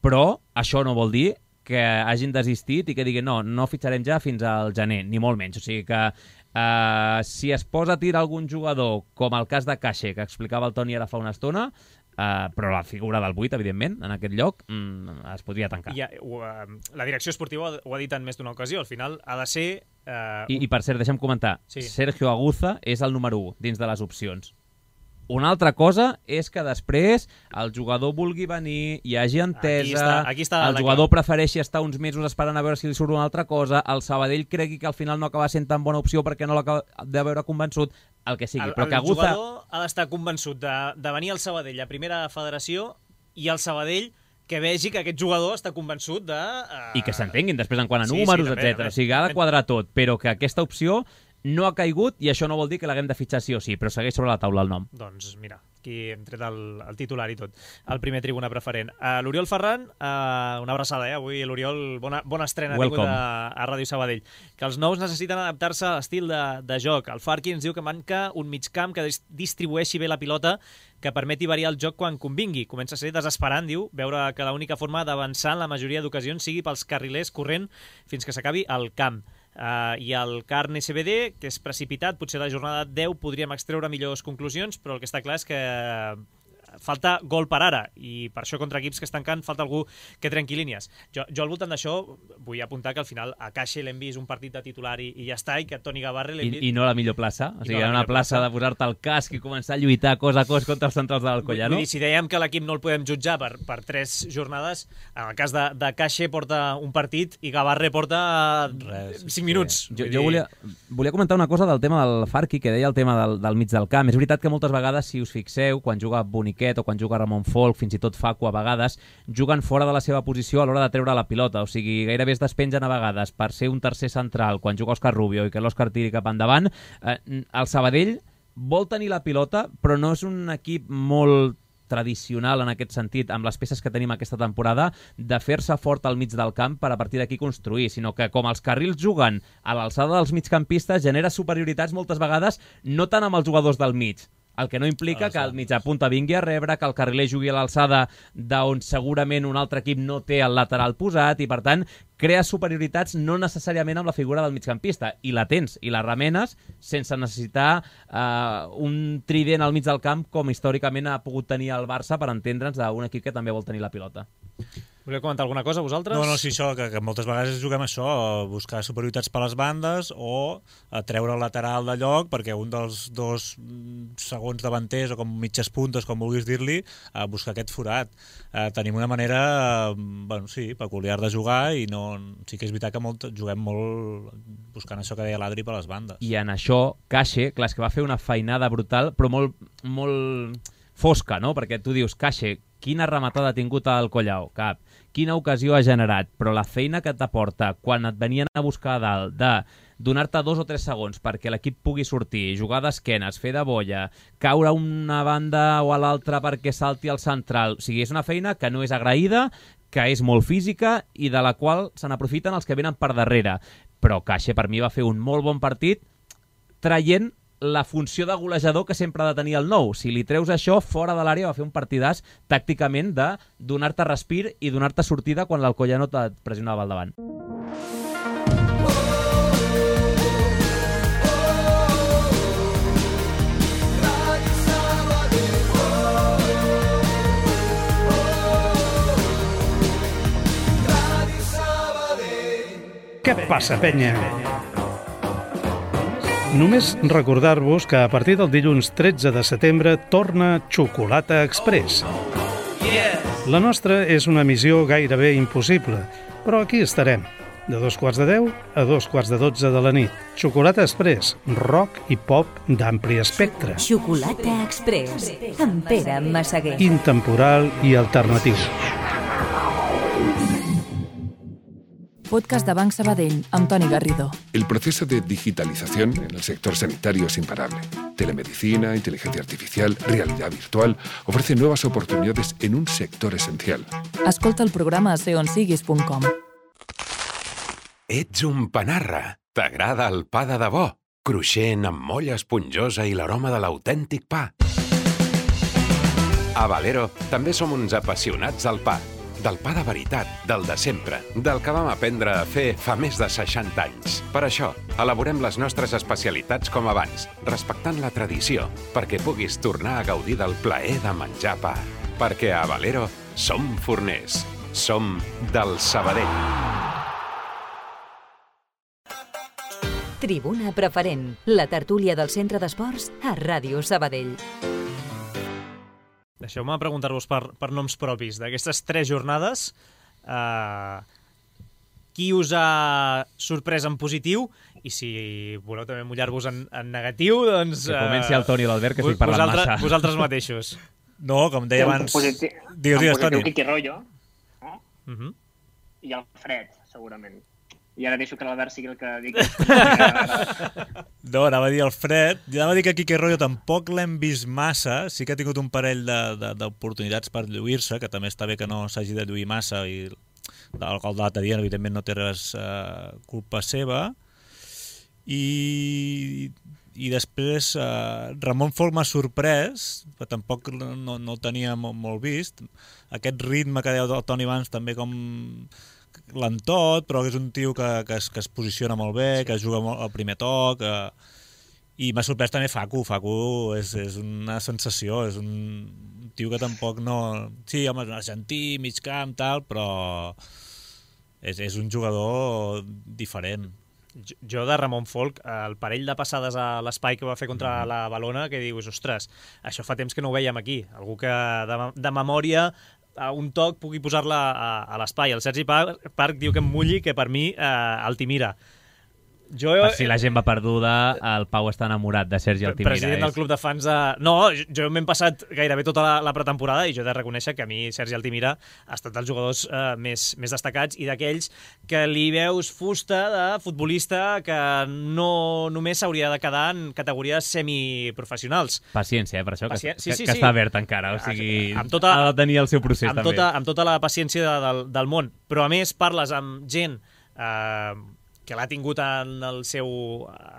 Però això no vol dir que hagin desistit i que diguin no, no fitxarem ja fins al gener, ni molt menys. O sigui que eh, si es posa a tirar algun jugador, com el cas de Caixer, que explicava el Toni ara fa una estona, Uh, però la figura del vuit, evidentment, en aquest lloc mm, es podria tancar. I, uh, la direcció esportiva ho ha dit en més d'una ocasió, al final ha de ser... Uh, I, I per cert, deixa'm comentar, Sí. Sergio Aguza és el número u dins de les opcions. Una altra cosa és que després el jugador vulgui venir, hi hagi entesa, Aquí està- aquí està el la jugador clau. prefereixi estar uns mesos esperant a veure si li surt una altra cosa, el Sabadell cregui que al final no acaba sent tan bona opció perquè no l'acaba de veure convençut, el que sigui. el, Però que el Aguza... jugador ha d'estar convençut de, de venir al Sabadell a primera federació i el Sabadell que vegi que aquest jugador està convençut de... Uh... I que s'entenguin després en quant a Sí, números, sí, també, etcètera. també. O sigui, ha de quadrar tot, però que aquesta opció no ha caigut i això no vol dir que l'haguem de fitxar sí o sí, però segueix sobre la taula el nom. Doncs mira, aquí hem tret el, el titular i tot, el primer tribuna preferent. Uh, L'Oriol Ferran, uh, una abraçada, eh? Avui l'Oriol, bona, bona estrena ha tingut Welcome. a, a Ràdio Sabadell. Que els nous necessiten adaptar-se a l'estil de, de joc. El Farqui ens diu que manca un migcamp que dis distribueixi bé la pilota, que permeti variar el joc quan convingui. Comença a ser desesperant, diu, veure que l'única forma d'avançar en la majoria d'ocasions sigui pels carrilers corrent fins que s'acabi el camp. Uh, I el Carn S B D, que és precipitat, potser a la jornada deu podríem extreure millors conclusions, però el que està clar és que falta gol per ara, i per això contra equips que estan tancant falta algú que trenqui línies. Jo, jo al voltant d'això vull apuntar que al final a Caixa l'hem vist un partit de titular i, i ja està, i que Toni Gavarre l'hem I, vist... I no la millor plaça. O I sigui, no la era una millor plaça plaça. de posar-te el casc i començar a lluitar cos a cos contra els centrals de l'Alcoyano. Vull dir, si dèiem que l'equip no el podem jutjar per, per tres jornades, en el cas de, de Caixa porta un partit i Gavarre porta Res, cinc sí. minuts. Jo, Vull jo dir, volia, volia comentar una cosa del tema del Farqui, que deia el tema del, del mig del camp. És veritat que moltes vegades, si us fixeu, quan juga Boniquet o quan juga Ramon Folk, fins i tot Facu a vegades, juguen fora de la seva posició a l'hora de treure la pilota. O sigui, gairebé es despengen a vegades per ser un tercer central quan juga Òscar Rubio i que l'Òscar tiri cap endavant. Eh, el Sabadell vol tenir la pilota, però no és un equip molt tradicional en aquest sentit, amb les peces que tenim aquesta temporada, de fer-se fort al mig del camp per a partir d'aquí construir, sinó que com els carrils juguen a l'alçada dels migcampistes, genera superioritats moltes vegades no tant amb els jugadors del mig, el que no implica que el mitjapunta vingui a rebre, que el carriler jugui a l'alçada d'on segurament un altre equip no té el lateral posat i, per tant, crea superioritats no necessàriament amb la figura del migcampista. I la tens, i la remenes, sense necessitar eh, un trident al mig del camp com històricament ha pogut tenir el Barça per entendre'ns d'un equip que també vol tenir la pilota. Voleu comentar alguna cosa, vosaltres? No, no, sí, això, que, que moltes vegades juguem això, a buscar superioritats per les bandes o a treure el lateral de lloc perquè un dels dos segons davanters o com mitges puntes, com vulguis dir-li, a buscar aquest forat. Eh, tenim una manera, bueno, sí, peculiar de jugar i no, sí que és veritat que molt, juguem molt buscant això que deia l'Adri per les bandes. I en això, Caixe, clar, és que va fer una feinada brutal, però molt, molt fosca, no? Perquè tu dius, Caixe, quina rematada ha tingut al Collao? Cap. Quina ocasió ha generat? Però la feina que t'aporta quan et venien a buscar a dalt de donar-te dos o tres segons perquè l'equip pugui sortir, jugar d'esquenes, fer de bolla, caure a una banda o a l'altra perquè salti al central. O sigui, és una feina que no és agraïda, que és molt física i de la qual se n'aprofiten els que venen per darrere. Però Caixe per mi va fer un molt bon partit traient la funció de golejador que sempre ha de tenir el nou. Si li treus això, fora de l'àrea va fer un partidàs tàcticament de donar-te respir i donar-te sortida quan l'Alcoyano et pressionava al davant. Què passa, penya? Només recordar-vos que a partir del dilluns tretze de setembre torna Xocolata Express. La nostra és una missió gairebé impossible, però aquí estarem, de dos quarts de deu a dos quarts de dotze de la nit. Xocolata Express, rock i pop d'ampli espectre. Xocolata Express, amb Pere Massaguer. Intemporal i alternatiu. Podcast de Banc Sabadell, amb Toni Garrido. El proceso de digitalización en el sector sanitario es imparable. Telemedicina, inteligencia artificial, realidad virtual ofrecen nuevas oportunidades en un sector esencial. Escolta el programa a ser on siguis punt com. Ets un panarra. T'agrada el pa de debò? Cruixent, amb molla esponjosa i l'aroma de l'autèntic pa. A Valero també som uns apassionats del pa. Del pa de veritat, del de sempre, del que vam aprendre a fer fa més de seixanta anys. Per això, elaborem les nostres especialitats com abans, respectant la tradició, perquè puguis tornar a gaudir del plaer de menjar pa. Perquè a Valero som forners, som del Sabadell. Tribuna Preferent, la tertúlia del Centre d'Esports a Ràdio Sabadell. Deixeu-me preguntar-vos per, per noms propis d'aquestes tres jornades. Uh, qui us ha sorprès en positiu? I si voleu també mullar-vos en, en negatiu, doncs... Que comenci el Toni i l'Albert, que estic parlant vosaltres, massa. Vosaltres mateixos. No, com deia abans... En positiu, digues, digues, Toni. Quique Rollo, no? Uh -huh. I el Fred, segurament. I ara deixo que l'Albert sigui el que digui. No, anava a dir el Fred. Jo anava a dir que Quique Rollo tampoc l'hem vist massa. Sí que ha tingut un parell d'oportunitats per lluir-se, que també està bé que no s'hagi de lluir massa, i el gol de l'altre dia, evidentment, no té res eh, culpa seva. I, i després eh, Ramon Folk m'ha sorprès, però tampoc no, no el tenia molt, molt vist. Aquest ritme que deia el Toni abans, també com lentot, però és un tio que, que, es, que es posiciona molt bé, que juga molt al primer toc, eh, i m'ha sorprès també Facu. Facu és, és una sensació, és un tio que tampoc no... Sí, home, és un argentí, mig camp, tal, però és, és un jugador diferent. Jo, jo de Ramon Folk, el parell de passades a l'espai que va fer contra mm. la Balona, que dius, ostres, això fa temps que no ho veiem aquí. Algú que de, de memòria a un toc pugui posar-la a, a l'espai. El Sergi Parc, Parc diu que em mulli, que per mi eh, Altimira. Jo, per si la gent va perduda, el Pau està enamorat de Sergi Altimira. President del club de fans de... No, jo m'he passat gairebé tota la, la pretemporada i jo he de reconèixer que a mi Sergi Altimira ha estat dels jugadors eh, més, més destacats i d'aquells que li veus fusta de futbolista que no només s'hauria de quedar en categories semiprofessionals. Paciència, eh, per això, que, Pacien... sí, que, sí, que sí. està obert encara, o sigui, amb tota, ha de tenir el seu procés amb també. Tota, amb tota la paciència de, del, del món, però a més parles amb gent eh, que l'ha tingut en, el seu,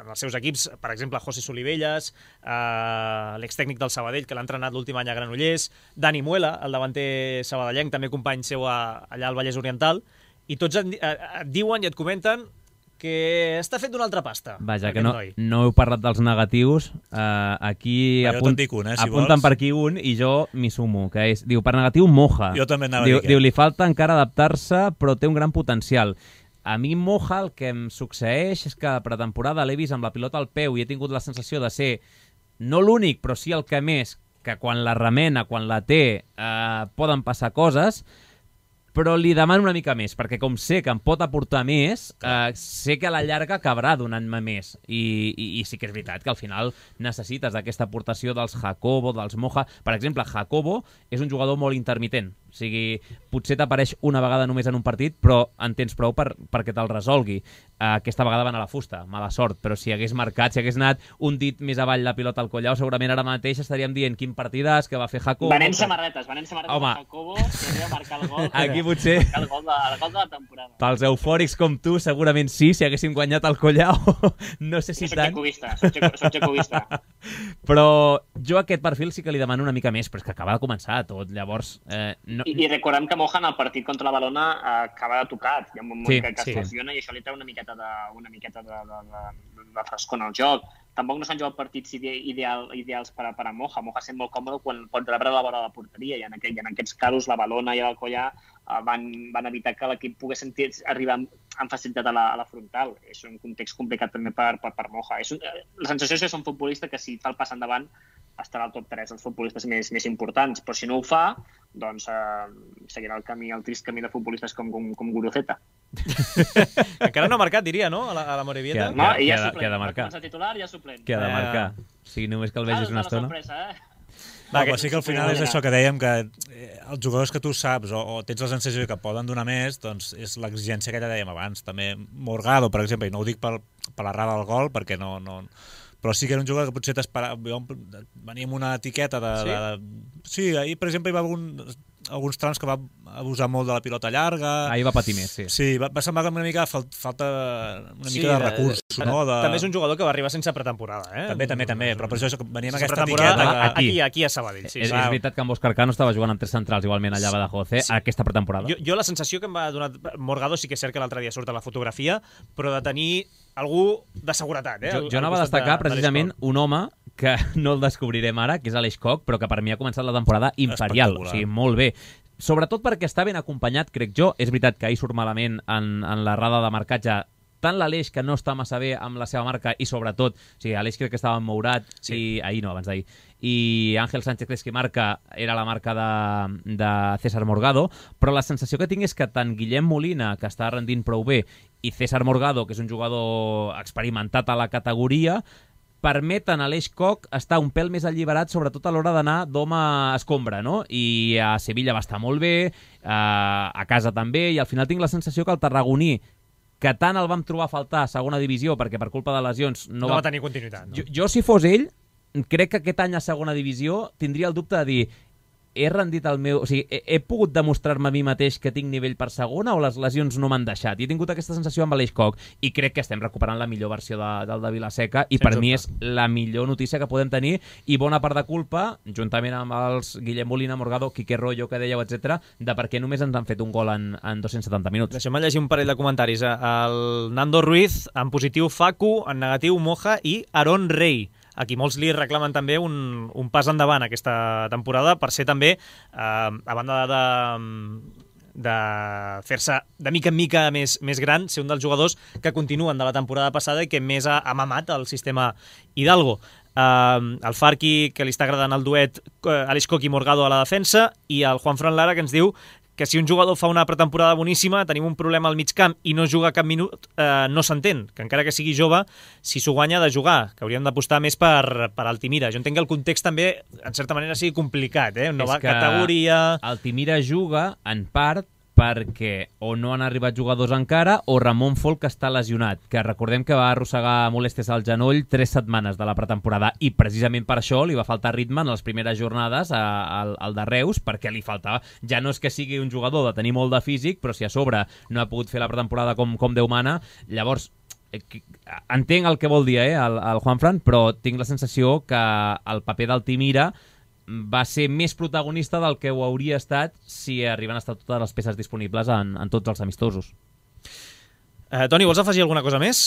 en els seus equips, per exemple, José Solivelles, eh, l'extècnic del Sabadell, que l'ha entrenat l'últim any a Granollers, Dani Muela, el davanter sabadellenc, també company seu a, allà al Vallès Oriental, i tots et, et diuen i et comenten que està fet d'una altra pasta. Vaja, que no, no heu parlat dels negatius. Uh, aquí Va, apunt, dic un, eh, si apunten vols. per aquí un i jo m'hi sumo, que és, diu, per negatiu, Moja. Jo també anava diu, a dir diu, li falta encara adaptar-se, però té un gran potencial. A mi Moja el que em succeeix és que a pretemporada l'he vist amb la pilota al peu i he tingut la sensació de ser no l'únic, però sí el que més, que quan la remena, quan la té, eh, poden passar coses, però li demano una mica més, perquè com sé que em pot aportar més, eh, sé que a la llarga acabarà donant-me més. I, i, I sí que és veritat que al final necessites d'aquesta aportació dels Jacobo, dels Moja. Per exemple, Jacobo és un jugador molt intermitent. O sigui, potser t'apareix una vegada només en un partit, però en tens prou per, perquè te'l resolgui. Uh, aquesta vegada va anar a la fusta, mala sort, però si hagués marcat, si hagués anat un dit més avall la pilota al collau, segurament ara mateix estaríem dient quin partidàs que va fer Jacobo. Venent samarretes, venent samarretes Home. de Jacobo, que havia marcar el gol. Aquí potser... El gol, de, el gol de la temporada. Pels eufòrics com tu, segurament sí, si haguéssim guanyat el collau. No sé si soc tant. Jacobista, soc, soc jacobista. Però jo a aquest perfil sí que li demano una mica més, però és que acaba de començar tot, llavors... Eh, no... I, I recordem que Moja en el partit contra la Balona eh, acaba de tocat, hi ha un moment Sí, que, que sí. es lesiona i això li treu una miqueta de, una miqueta de, de, de, de frescor en el joc. Tampoc no s'han jugat partits ide ideal, ideals per a, per a Moja. Moja sent molt còmode quan pot rebre la vora de la porteria i en, aquell, en aquests casos la Balona i el Collà eh, van, van evitar que l'equip pogués sentir, arribar amb, amb facilitat a la, a la frontal. És un context complicat també per, per, per Moja. És un, la sensació és que és un futbolista que si fa el pas endavant estarà al top tres dels futbolistes més, més importants, però si no ho fa, doncs eh, seguirà el camí, el trist camí de futbolistes com, com, com Guruceta. Encara no ha marcat, diria, no? A la, a la Morevieta. No, i ja que ha de- suplent. que ha de marcar. Va començar titular i ja suplent. Que ha de Eh, marcar. Sí, només que el vegis una estona. Sorpresa, eh? Va, però sí que al final és això que dèiem, que eh, els jugadors que tu saps o, o tens la sensació que poden donar més, doncs és l'exigència que ja dèiem abans. També Morgado, per exemple, i no ho dic per, per l'errada del gol, perquè no... no però sí que era un jugador que potser t'esperava... Venia amb una etiqueta de... Sí? de, de sí, ahir, per exemple, hi va algun, alguns trams que va abusar molt de la pilota llarga. Ahir va patir més, sí. Sí, va, va semblar que una mica fal, falta una Sí, mica de de- recursos, de- no? De... També és un jugador que va arribar sense pretemporada, eh? També, també, també, però per això és que venia amb Sense aquesta pretemporada, etiqueta. Que... aquí, Aquí. aquí a Sabadell. Sí, és, sí. és veritat que amb Òscar Cano estava jugant amb tres centrals, igualment allà a Badajoz, eh? Sí. Aquesta pretemporada. Jo, jo la sensació que em va donar Morgado, sí que és cert que l'altre dia surt a la fotografia, però de tenir algú de seguretat. Eh? Jo, al- jo al anava a costat destacar de- de precisament l'Escol. un home que no el descobrirem ara, que és Aleix Koch, però que per mi ha començat la temporada imperial, o Espectacular. sigui, molt bé. Sobretot perquè està ben acompanyat, crec jo. És veritat que ahir surt malament en, en la rada de marcatge tant l'Aleix, que no està massa bé amb la seva marca, i sobretot, o sigui, Aleix crec que estava emmourat, sí. i ahir no, abans d'ahir, i Àngel Sánchez Cres que marca era la marca de, de César Morgado, però la sensació que tinc és que tant Guillem Molina, que està rendint prou bé, i César Morgado, que és un jugador experimentat a la categoria, permeten a l'Eix Koch estar un pèl més alliberat, sobretot a l'hora d'anar d'home escombra, no? I a Sevilla va estar molt bé, a casa també, i al final tinc la sensació que el tarragoní, que tant el vam trobar a faltar a segona divisió, perquè per culpa de lesions no, No va tenir continuïtat. No? Jo, jo, si fos ell, crec que aquest any a segona divisió tindria el dubte de dir he rendit el meu... O sigui, he, he pogut demostrar-me a mi mateix que tinc nivell per segona o les lesions no m'han deixat? I he tingut aquesta sensació amb Aleix Koch i crec que estem recuperant la millor versió de, del de Vilaseca i Sens per dubte. mi és la millor notícia que podem tenir i bona part de culpa, juntament amb els Guillem Molina, Morgado, Quique Rollo, que dèieu, etcètera, de per què només ens han fet un gol en, en dos-cents setanta minuts. Deixem-me llegir un parell de comentaris. El Nando Ruiz, en positiu Facu, en negatiu Moja i Aaron Rey. Aquí molts li reclamen també un, un pas endavant aquesta temporada per ser també, eh, a banda de, de fer-se de mica en mica més, més gran, ser un dels jugadors que continuen de la temporada passada i que més ha, ha mamat el sistema Hidalgo. Uh, el Farqui, que li està agradant el duet uh, Aleix Koch i Morgado a la defensa, i el Juan Fran Lara, que ens diu que si un jugador fa una pretemporada boníssima, tenim un problema al mig camp i no juga cap minut, eh, no s'entén, que encara que sigui jove, si s'ho guanya ha de jugar, que hauríem d'apostar més per, per Altimira. Jo entenc que el context també, en certa manera, sigui complicat, eh? Nova categoria... Altimira juga, en part, perquè o no han arribat jugadors encara o Ramon Folk està lesionat, que recordem que va arrossegar molèsties al genoll tres setmanes de la pretemporada i precisament per això li va faltar ritme en les primeres jornades al, al de Reus, perquè li faltava, ja no és que sigui un jugador de tenir molt de físic, però si a sobre no ha pogut fer la pretemporada com, com Déu mana, llavors entenc el que vol dir eh, el, el Juanfran, però tinc la sensació que el paper d'Altimira va ser més protagonista del que ho hauria estat si arriben a estar totes les peces disponibles en, en tots els amistosos. Eh, Toni, vols afegir alguna cosa més?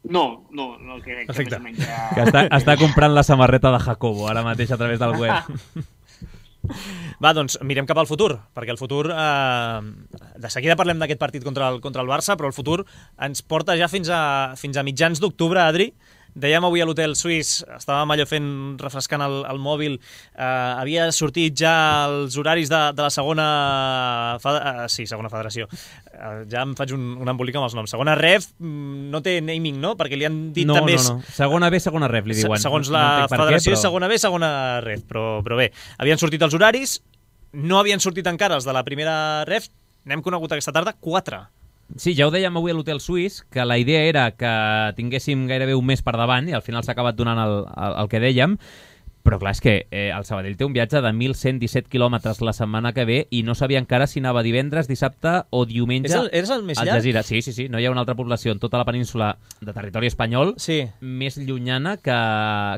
No, no, no crec que més o menys... Ja... Que està, està comprant la samarreta de Jacobo ara mateix a través del web. Va, doncs mirem cap al futur, perquè el futur... Eh, de seguida parlem d'aquest partit contra el, contra el Barça, però el futur ens porta ja fins a, fins a mitjans d'octubre, Adri. Dèiem avui a l'hotel suís, estàvem allò fent, refrescant el, el mòbil, eh, havia sortit ja els horaris de, de la segona... Eh, sí, segona federació. Eh, ja em faig un, un embolic amb els noms. Segona ref no té naming, no? Perquè li han dit no, també... No, no, segona B, segona ref, li diuen. Segons la no federació què, però... és segona B, segona ref, però, però bé, havien sortit els horaris, no havien sortit encara els de la primera ref, n'hem conegut aquesta tarda quatre. Sí, ja ho dèiem avui a l'hotel suís, que la idea era que tinguéssim gairebé un mes per davant i al final s'ha acabat donant el, el, el que dèiem, però clar, és que eh, el Sabadell té un viatge de mil cent disset quilòmetres la setmana que ve i no sabia encara si anava divendres, dissabte o diumenge. És el, és el més al llarg? Jazira. Sí, sí, sí, no hi ha una altra població en tota la península de territori espanyol sí. més llunyana que,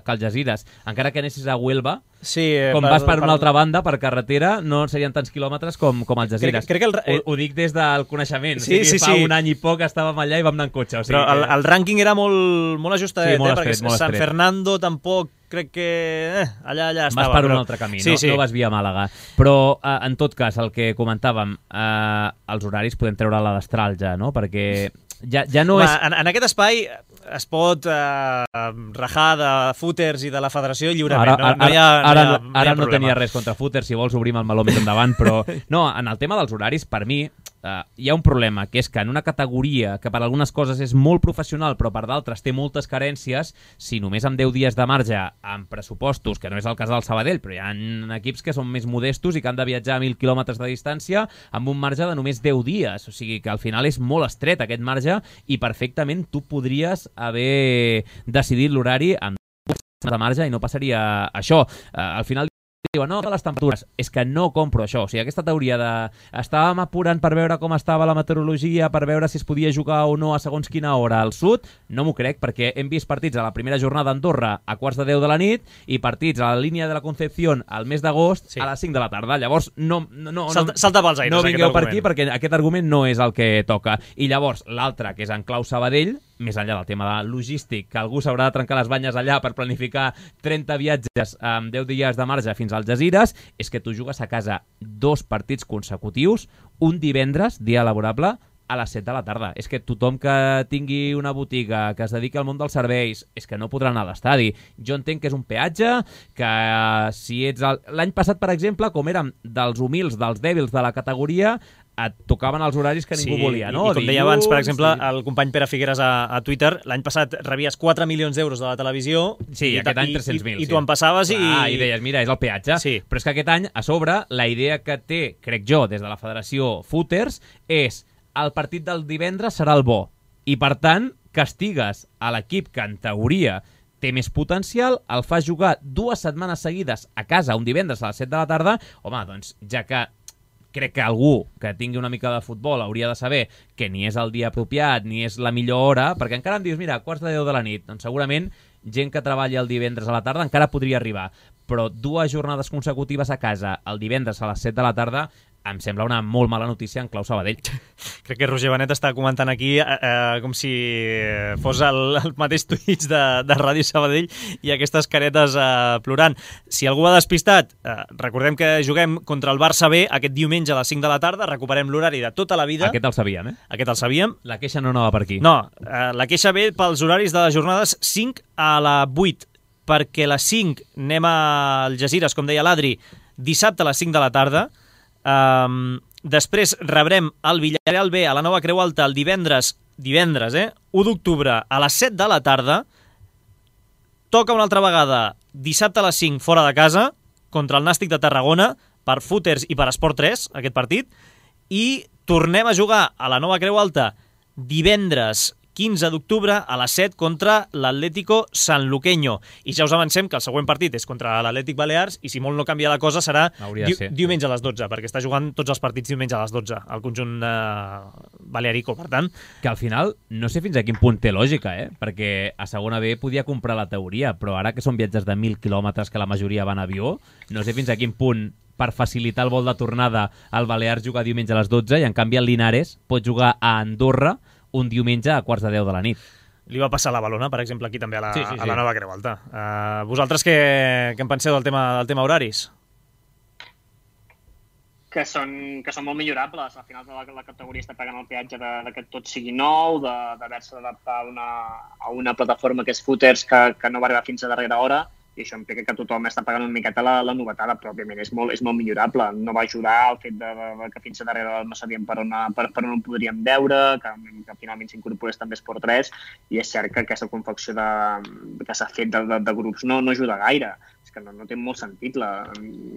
que el Jazires. Encara que anessis a Huelva, sí, com per, vas per, per una per... altra banda, per carretera, no serien tants quilòmetres com, com el Jazires. Crec, crec que el... ho, ho dic des del coneixement. Sí, o sigui, sí, fa sí. un any i poc estàvem allà i vam anar en cotxe. O sigui, però el, el rànquing era molt, molt ajustadet, sí, molt eh? estret, perquè molt San estret. Fernando tampoc crec que eh, allà, allà estava. Vas per però... un altre camí, sí, no, sí. no vas via Màlaga. Però, eh, en tot cas, el que comentàvem, eh, els horaris podem treure la destral ja, no? Perquè ja, ja no Home, és... En, en aquest espai es pot eh, rajar de footers i de la federació lliurement. Ara, ara, no, no hi ha, ara, no hi ha, no, no hi ha ara no problema. tenia res contra footers, si vols obrim el meló més endavant, però no, en el tema dels horaris, per mi, eh, hi ha un problema, que és que en una categoria que per algunes coses és molt professional, però per d'altres té moltes carències, si només amb deu dies de marge, amb pressupostos, que no és el cas del Sabadell, però hi ha equips que són més modestos i que han de viatjar a mil quilòmetres de distància amb un marge de només deu dies, o sigui que al final és molt estret aquest marge i perfectament tu podries haver decidit l'horari amb de marge i no passaria això. Uh, al final diuen, no, de les temperatures, és que no compro això, o sigui, aquesta teoria de estàvem apurant per veure com estava la meteorologia, per veure si es podia jugar o no a segons quina hora al sud, no m'ho crec, perquè hem vist partits a la primera jornada a Andorra a quarts de deu de la nit i partits a la línia de la Concepción al mes d'agost sí. a les cinc de la tarda, llavors no, no, no, salta, salta pels aires, no vingueu per argument. aquí perquè aquest argument no és el que toca. I llavors l'altre, que és en clau Sabadell, més enllà del tema de logístic, que algú s'haurà de trencar les banyes allà per planificar trenta viatges amb deu dies de marge fins als Jazires, és que tu jugues a casa dos partits consecutius, un divendres, dia laborable, a les set de la tarda. És que tothom que tingui una botiga, que es dediqui al món dels serveis, és que no podrà anar a l'estadi. Jo entenc que és un peatge, que si ets... El... L'any passat, per exemple, com érem dels humils, dels dèbils de la categoria, et tocaven els horaris que ningú sí, volia, no? I, i com deia abans, per exemple, sí. el company Pere Figueres a, a Twitter, l'any passat rebies quatre milions d'euros de la televisió sí, i, aquest any tres-cents mil. I, i, sí. i tu en passaves i... Ah, i deies, mira, és el peatge. Sí. Però és que aquest any, a sobre, la idea que té, crec jo, des de la Federació Footers, és el partit del divendres serà el bo. I, per tant, castigues a l'equip que, en teoria, té més potencial, el fas jugar dues setmanes seguides a casa un divendres a les set de la tarda, home, doncs, ja que crec que algú que tingui una mica de futbol hauria de saber que ni és el dia apropiat, ni és la millor hora, perquè encara em dius, mira, quarts de deu de la nit, doncs segurament gent que treballa el divendres a la tarda encara podria arribar, però dues jornades consecutives a casa el divendres a les set de la tarda em sembla una molt mala notícia en clau Sabadell. Crec que Roger Benet està comentant aquí eh, eh, com si fos el, el mateix Twitch de, de Ràdio Sabadell i aquestes caretes eh, plorant. Si algú ha despistat, eh, recordem que juguem contra el Barça B aquest diumenge a les cinc de la tarda, recuperem l'horari de tota la vida. Aquest el sabíem, eh? Aquest el sabíem. La queixa no anava per aquí. No, eh, la queixa ve pels horaris de les jornades cinc a la vuit, perquè a les cinc anem al Jazires, com deia l'Adri, dissabte a les cinc de la tarda. Um, després rebrem el Villarreal B a la Nova Creu Alta el divendres, divendres, eh? u d'octubre a les set de la tarda. Toca una altra vegada dissabte a les cinc fora de casa contra el Nàstic de Tarragona per Footers i per Esport tres, aquest partit. I tornem a jugar a la Nova Creu Alta divendres quinze d'octubre a les set contra l'Atlético Sanluqueño. I ja us avancem que el següent partit és contra l'Atlètic Balears i si molt no canvia la cosa serà di diumenge a les dotze, perquè està jugant tots els partits diumenge a les dotze, el conjunt eh, balearico, per tant. Que al final no sé fins a quin punt té lògica, eh? Perquè a segona B podia comprar la teoria, però ara que són viatges de mil quilòmetres que la majoria van a avió, no sé fins a quin punt per facilitar el vol de tornada al Balears jugar diumenge a les dotze i en canvi el Linares pot jugar a Andorra un diumenge a quarts de deu de la nit. Li va passar a la Balona, per exemple, aquí també a la, sí, sí, sí. a la Nova Creu Alta. Uh, vosaltres què, què en penseu del tema, del tema horaris? Que són, que són molt millorables. Al final de la, la categoria està pagant el peatge de, de que tot sigui nou, d'haver-se d'adaptar a, una, a una plataforma que és Footers que, que no va arribar fins a darrera hora, i això implica que tothom està pagant una miqueta la, la novetada, però òbviament és molt, és molt millorable. No va ajudar el fet de, de, de que fins a darrere no sabíem per on, per, per on ho podríem veure, que, que finalment s'incorporés també Esport tres, i és cert que aquesta confecció de, que s'ha fet de, de, de grups no, no ajuda gaire. És que no, no té molt sentit. La,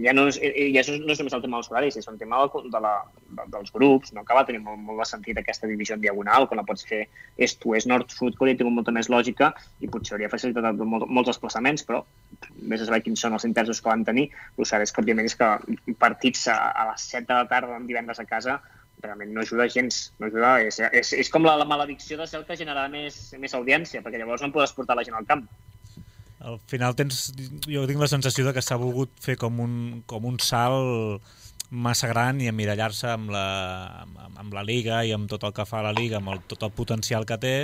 ja no és, ja no és només el tema dels horaris, és un tema de, de la, de, dels grups. No acaba de tenir molt, molt de sentit aquesta divisió en diagonal, quan la pots fer est-oest, nord-sud, que hauria tingut molta més lògica i potser hauria facilitat molt, molts desplaçaments, però més a saber quins són els interessos que van tenir. El cert és que, òbviament, és que partits a, a les set de la tarda en divendres a casa realment no ajuda gens. No ajuda. És, és, és com la, la maledicció de ser el que genera més, més audiència, perquè llavors no podràs portar la gent al camp. Al final tens, jo tinc la sensació de que s'ha volgut fer com un, com un salt massa gran i emmirallar-se amb la, amb, amb la Liga i amb tot el que fa la Liga, amb el, tot el potencial que té,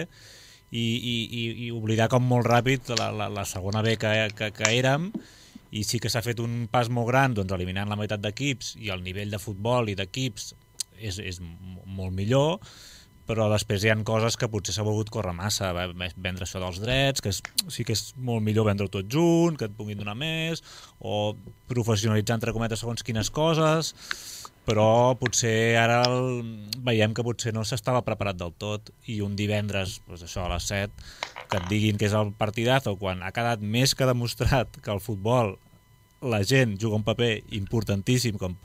i, i, i, i oblidar com molt ràpid la, la, la segona B que, que, que érem, i sí que s'ha fet un pas molt gran, doncs, eliminant la meitat d'equips, i el nivell de futbol i d'equips és, és molt millor, però després hi ha coses que potser s'ha volgut córrer massa, vendre això dels drets, que és, sí que és molt millor vendre-ho tot junt, que et puguin donar més, o professionalitzar, entre cometes, segons quines coses, però potser ara el, veiem que potser no s'estava preparat del tot, i un divendres, doncs això, a les set, que et diguin que és el partidazo, quan ha quedat més que demostrat que el futbol la gent juga un paper importantíssim, com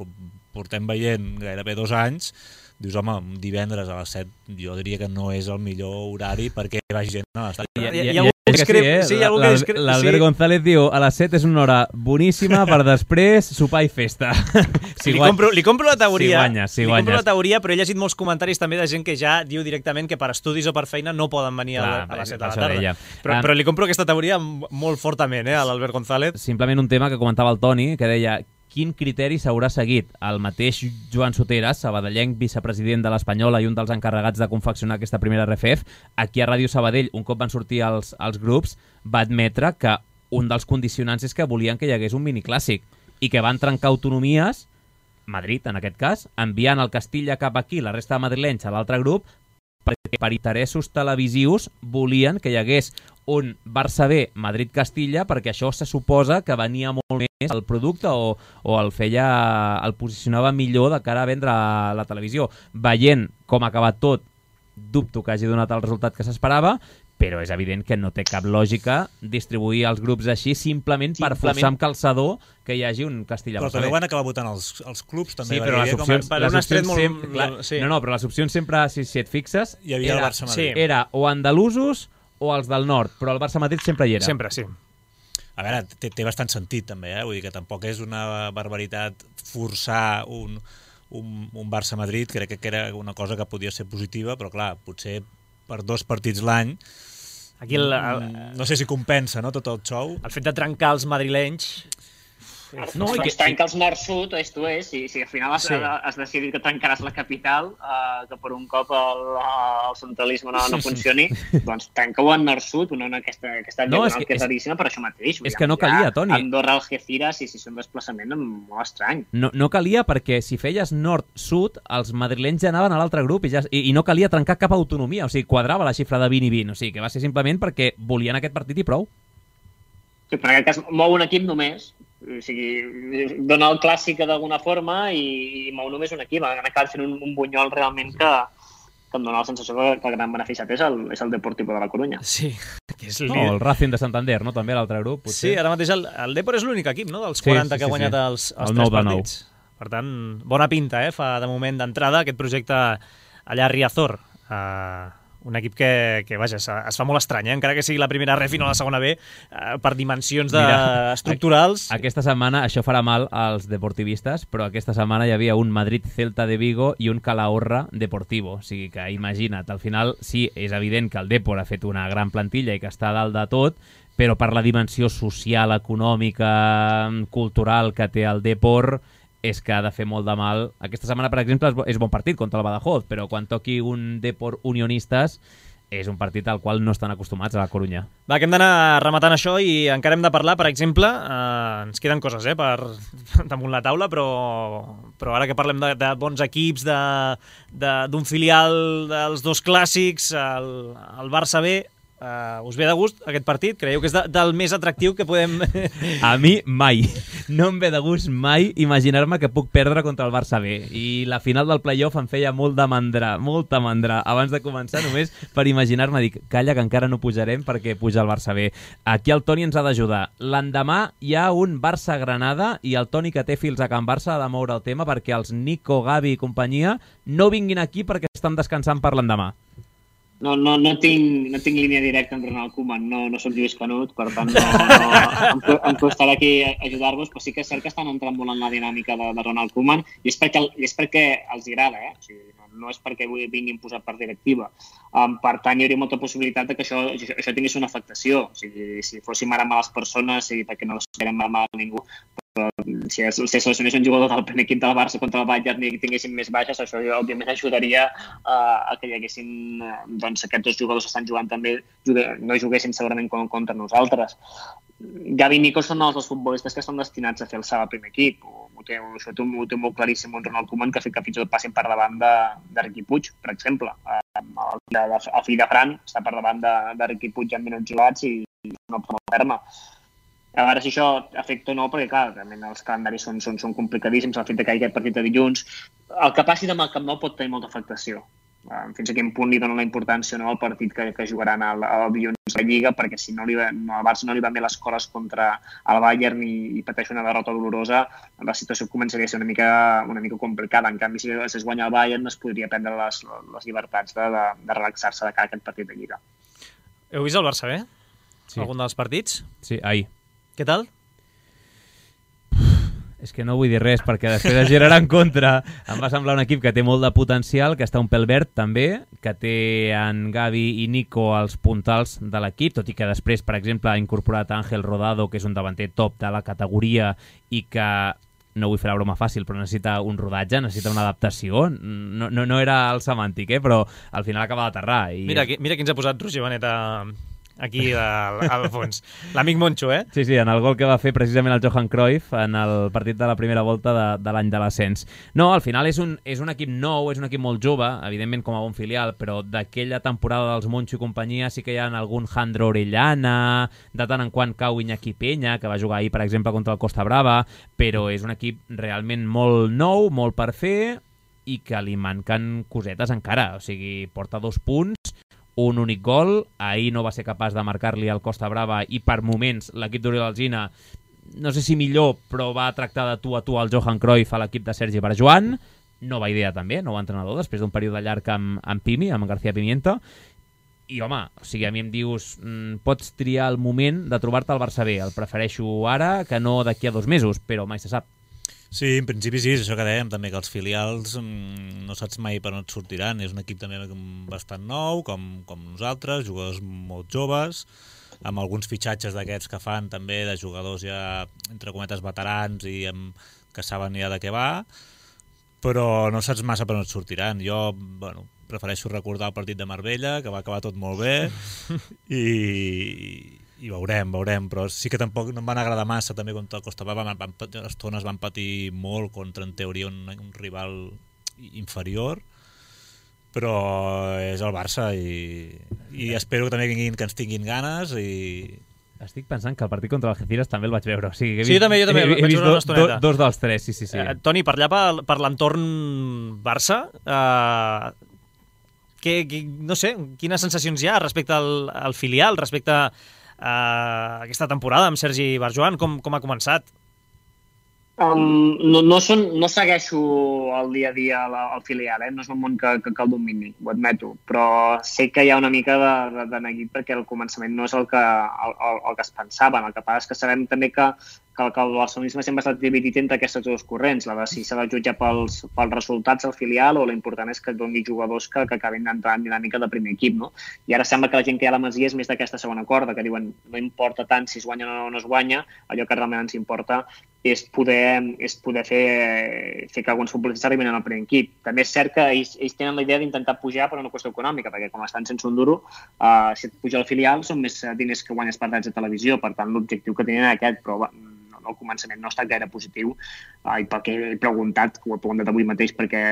portem veient gairebé dos anys, dius, home, divendres a les set jo diria que no és el millor horari perquè hi vagi gent a l'estadi. Hi ha, hi ha, hi ha sí, eh? sí, L'Albert González diu, a les set és una hora boníssima per després sopar i festa. Si li, compro, li compro la teoria, si guanyes, si li guanyes. compro la teoria, però he llegit molts comentaris també de gent que ja diu directament que per estudis o per feina no poden venir Clar, a, a les set de la tarda. Però, però li compro aquesta teoria molt fortament, eh, a l'Albert González. Simplement un tema que comentava el Toni, que deia quin criteri s'haurà seguit. El mateix Joan Soteras, sabadellenc, vicepresident de l'Espanyola i un dels encarregats de confeccionar aquesta primera R F F, aquí a Ràdio Sabadell, un cop van sortir els, els grups, va admetre que un dels condicionants és que volien que hi hagués un miniclàssic i que van trencar autonomies, Madrid en aquest cas, enviant el Castilla cap aquí, la resta de madrilenys a l'altre grup, perquè per interessos televisius volien que hi hagués un Barça B, Madrid-Castilla, perquè això se suposa que venia molt més el producte o, o el feia, el posicionava millor de cara a vendre a la televisió. Veient com ha acabat tot, dubto que hagi donat el resultat que s'esperava, però és evident que no té cap lògica distribuir els grups així simplement, simplement per forçar amb calçador que hi hagi un Castilla. Però també van acabar votant els, els clubs, també. Sí, però les opcions, com... les les opcions molt... sempre... Clar, sí. No, no, però les opcions sempre, si, si et fixes, hi havia era, el Barça-Madrid. Sí. Era o andalusos o els del nord, però el Barça-Madrid sempre hi era. Sempre, sí. A veure, té, té bastant sentit també, eh? Vull dir que tampoc és una barbaritat forçar un, un, un Barça-Madrid, crec que era una cosa que podia ser positiva, però clar, potser per dos partits l'any aquí el, el, no sé si compensa, no, tot el show. El fet de trencar els madrilenys... No, i que trenca els nord-sud, est-oest, i si al final has, sí. has decidit que trencaràs la capital, eh, que per un cop el, el centralisme no, no funcioni, doncs trenca-ho en nord-sud, una, una, aquesta, aquesta no, diagonal que, que és raríssima per això mateix. És que no calia, Toni. Andorra, Algeciras, i si és un desplaçament molt estrany. No, no calia perquè si feies nord-sud, els madrilenys ja anaven a l'altre grup i, ja, i, i no calia trencar cap autonomia, o sigui, quadrava la xifra de vint i vint, o sigui, que va ser simplement perquè volien aquest partit i prou. Sí, però en aquest cas mou un equip només, O sigui, dona el clàssic d'alguna forma i, i mou només un equip. Han acabat fent un, un bunyol realment que, que em dona la sensació que, que el gran beneficiat és el, és el Deportivo de la Coruña. Sí, que és no, el Racing de Santander, no? També l'altre grup. Potser. Sí, ara mateix el, el Depor és l'únic equip, no?, dels quaranta sí, sí, que ha guanyat sí. els, els el tres partits. Per tant, bona pinta, eh? Fa de moment d'entrada aquest projecte allà a Riazor. Uh, un equip que, que vaja, es, es fa molt estrany, eh? Encara que sigui la primera ref i no la segona B, uh, per dimensions de, Mira, estructurals. Aquesta setmana, això farà mal als deportivistes, però aquesta setmana hi havia un Madrid-Celta de Vigo i un Calahorra Deportivo. O sigui que imagina't, al final sí, és evident que el Depor ha fet una gran plantilla i que està a dalt de tot, però per la dimensió social, econòmica, cultural que té el Depor, és que ha de fer molt de mal. Aquesta setmana, per exemple, és bon partit contra el Badajoz, però quan toqui un Depor Unionistes és un partit al qual no estan acostumats a la Corunya. Va, que hem d'anar rematant això i encara hem de parlar, per exemple, eh, ens queden coses eh, per damunt la taula, però, però ara que parlem de, de bons equips, d'un filial dels dos clàssics, el, el Barça B, Uh, us ve de gust aquest partit? Creieu que és de, del més atractiu que podem... A mi mai. No em ve de gust mai imaginar-me que puc perdre contra el Barça B. I la final del playoff em feia molt de mandra, molta mandra. Abans de començar, només per imaginar-me, dic, calla, que encara no pujarem perquè puja el Barça B. Aquí el Toni ens ha d'ajudar. L'endemà hi ha un Barça-Granada i el Toni, que té fils a Can Barça, ha de moure el tema perquè els Nico, Gavi i companyia no vinguin aquí perquè estan descansant per l'endemà. No, no, no, tinc, no tinc línia directa amb Ronald Koeman, no, no soc Lluís Canut, per tant no, no, em, em costarà aquí ajudar-vos, però sí que és cert que estan entrant molt en la dinàmica de, de Ronald Koeman i és perquè, i és perquè els agrada, eh? O sigui, no, no és perquè vinguin posat per directiva. Um, per tant, hi hauria molta possibilitat de que això, això, això tingués una afectació. O sigui, si fóssim ara males persones, sí, perquè no esperem mal a ningú, però si es, si seleccionés un jugador del primer equip del Barça contra el Bayern i tinguéssim més baixes, això òbviament ajudaria uh, a que hi haguessin uh, doncs aquests dos jugadors que estan jugant també jugue, no juguessin segurament contra nosaltres. Gavi i Nico són els dos futbolistes que estan destinats a fer el salt al primer equip. Ho té, això ho té, ho té molt claríssim un Ronald Koeman que ha fet que fins i tot passin per davant de, de Riqui Puig, per exemple. El, el, el fill de Fran està per davant de, de Riqui Puig en minuts jugats i, i no pot ferma. A veure si això afecta o no, perquè clar, realment els calendaris són, són, són complicadíssims, el fet de que hi hagi aquest partit de dilluns. El que passi demà al Camp Nou pot tenir molta afectació. Fins a quin punt li donen la importància no, al partit que, que jugaran al, al dilluns a la Lliga, perquè si no li va, no, al Barça no li van bé les coses contra el Bayern i, i pateix una derrota dolorosa, la situació començaria a ser una mica, una mica complicada. En canvi, si es guanya el Bayern, es podria prendre les, les llibertats de, de, de relaxar-se de cara a aquest partit de Lliga. Heu vist el Barça bé? Sí. Algun dels partits? Sí, ahir. Què tal? És que no vull dir res perquè després es girarà en contra. Em va semblar un equip que té molt de potencial, que està un pèl verd també, que té en Gavi i Nico els puntals de l'equip, tot i que després, per exemple, ha incorporat Ángel Rodado, que és un davanter top de la categoria i que, no vull fer la broma fàcil, però necessita un rodatge, necessita una adaptació. No, no, no era el semàntic, eh? Però al final acaba d'aterrar. I... Mira, mira qui ens ha posat Roger Benet a... aquí al, al fons. L'amic Moncho, eh? Sí, sí, en el gol que va fer precisament el Johan Cruyff en el partit de la primera volta de, de l'any de l'ascens. No, al final és un, és un equip nou, és un equip molt jove, evidentment com a bon filial, però d'aquella temporada dels Moncho i companyia sí que hi ha algun Jandro Orellana, de tant en quant cau Iñaki Peña, que va jugar ahir, per exemple, contra el Costa Brava, però és un equip realment molt nou, molt per fer, i que li manquen cosetes encara. O sigui, porta dos punts, un únic gol, ahir no va ser capaç de marcar-li al Costa Brava i per moments l'equip d'Oriol Alsina, no sé si millor, però va tractar de tu a tu al Johan Cruyff a l'equip de Sergi Barjuan, nova idea també, nou entrenador, després d'un període llarg amb, amb Pimi, amb García Pimienta, i home, o sigui, a mi em dius, mmm, pots triar el moment de trobar-te al Barça B, el prefereixo ara que no d'aquí a dos mesos, però mai se sap. Sí, en principi sí, és això que dèiem també, que els filials mmm, no saps mai per on et sortiran. És un equip també bastant nou, com, com nosaltres, jugadors molt joves, amb alguns fitxatges d'aquests que fan també, de jugadors ja, entre cometes, veterans i amb, que saben ja de què va, però no saps massa per on et sortiran. Jo, bueno, prefereixo recordar el partit de Marbella, que va acabar tot molt bé, i... i veurem, veurem, però sí que tampoc no em van agradar massa també contra el Costa Brava, van, van, les estones van patir molt contra, en teoria, un, un rival inferior, però és el Barça i, i espero que també vinguin, que ens tinguin ganes i, Estic pensant que el partit contra l'Algeciras també el vaig veure. O sigui, he vist, sí, també, jo també. He, he vaig vist veure una do, estoneta. do, dos dels tres, sí, sí. sí. Eh, Toni, per allà, per, per l'entorn Barça, eh, que, que, no sé, quines sensacions hi ha respecte al, al filial, respecte a eh, aquesta temporada amb Sergi Barjuan? Com, com ha començat? Um, no, no, són, no segueixo el dia a dia al, al filial, eh? No és un món que, que, que el domini, ho admeto, però sé que hi ha una mica de, de, de neguit perquè el començament no és el que, el, el, el que es pensaven. El que passa és que sabem també que, que, que el barcelonisme sempre ha estat dividit entre aquestes dues corrents, la de si s'ha de jutjar pels, pels resultats al filial o l'important és que et doni jugadors que, que acabin d'entrar en dinàmica de primer equip, no? I ara sembla que la gent que hi ha a la Masia és més d'aquesta segona corda, que diuen no importa tant si es guanya o no es guanya, allò que realment ens importa és poder, és poder fer, fer que alguns futbolistes arribin al primer equip. També és cert que ells, ells tenen la idea d'intentar pujar per una qüestió econòmica, perquè com estan sense un duro, uh, si et puja al filial són més diners que guanyes per drets de televisió, per tant l'objectiu que tenen aquest, però no, al començament no ha estat gaire positiu, uh, i perquè he preguntat, que ho he preguntat avui mateix, perquè,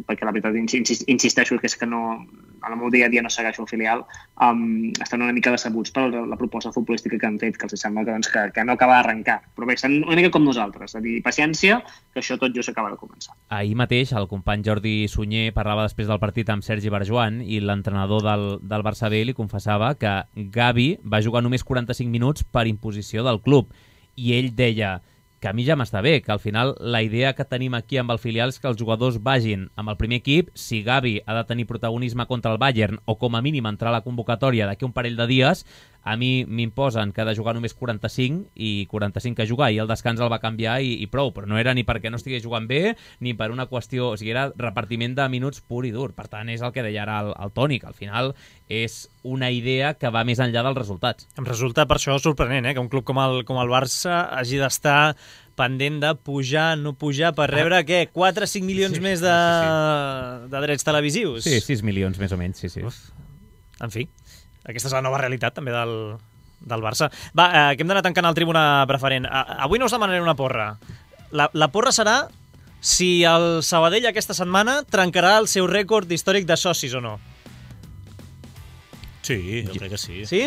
perquè la veritat insist, insisteixo que és que no, en el meu dia a dia no segueixo el filial, um, estan una mica decebuts per la, la proposta futbolística que han fet, que els sembla que, doncs, que, que no acaba d'arrencar. Però bé, estan una mica com nosaltres, és a dir, paciència, que això tot just s'acaba de començar. Ahir mateix el company Jordi Sunyer parlava després del partit amb Sergi Barjuan i l'entrenador del, del Barça B li confessava que Gavi va jugar només quaranta-cinc minuts per imposició del club i ell deia que a mi ja m'està bé, que al final la idea que tenim aquí amb el filial és que els jugadors vagin amb el primer equip. Si Gavi ha de tenir protagonisme contra el Bayern o com a mínim entrar a la convocatòria d'aquí un parell de dies, a mi m'imposen que ha de jugar només quaranta-cinc i quaranta-cinc que jugar, i el descans el va canviar i, i prou, però no era ni perquè no estigués jugant bé ni per una qüestió, o sigui, era repartiment de minuts pur i dur. Per tant, és el que deia ara el, el Toni, que al final és una idea que va més enllà dels resultats. Em resulta per això sorprenent, eh, que un club com el, com el Barça hagi d'estar pendent de pujar, no pujar, per rebre, ah. què, quatre o cinc milions sí, més de, sí, sí. de drets televisius? Sí, sis milions més o menys, sí, sí. Uf. En fi, aquesta és la nova realitat també del, del Barça. Va, eh, que hem d'anar tancant el tribuna preferent. A, avui no us demanaré una porra. La, la porra serà si el Sabadell aquesta setmana trencarà el seu rècord històric de socis o no. Sí, jo crec que sí. Sí?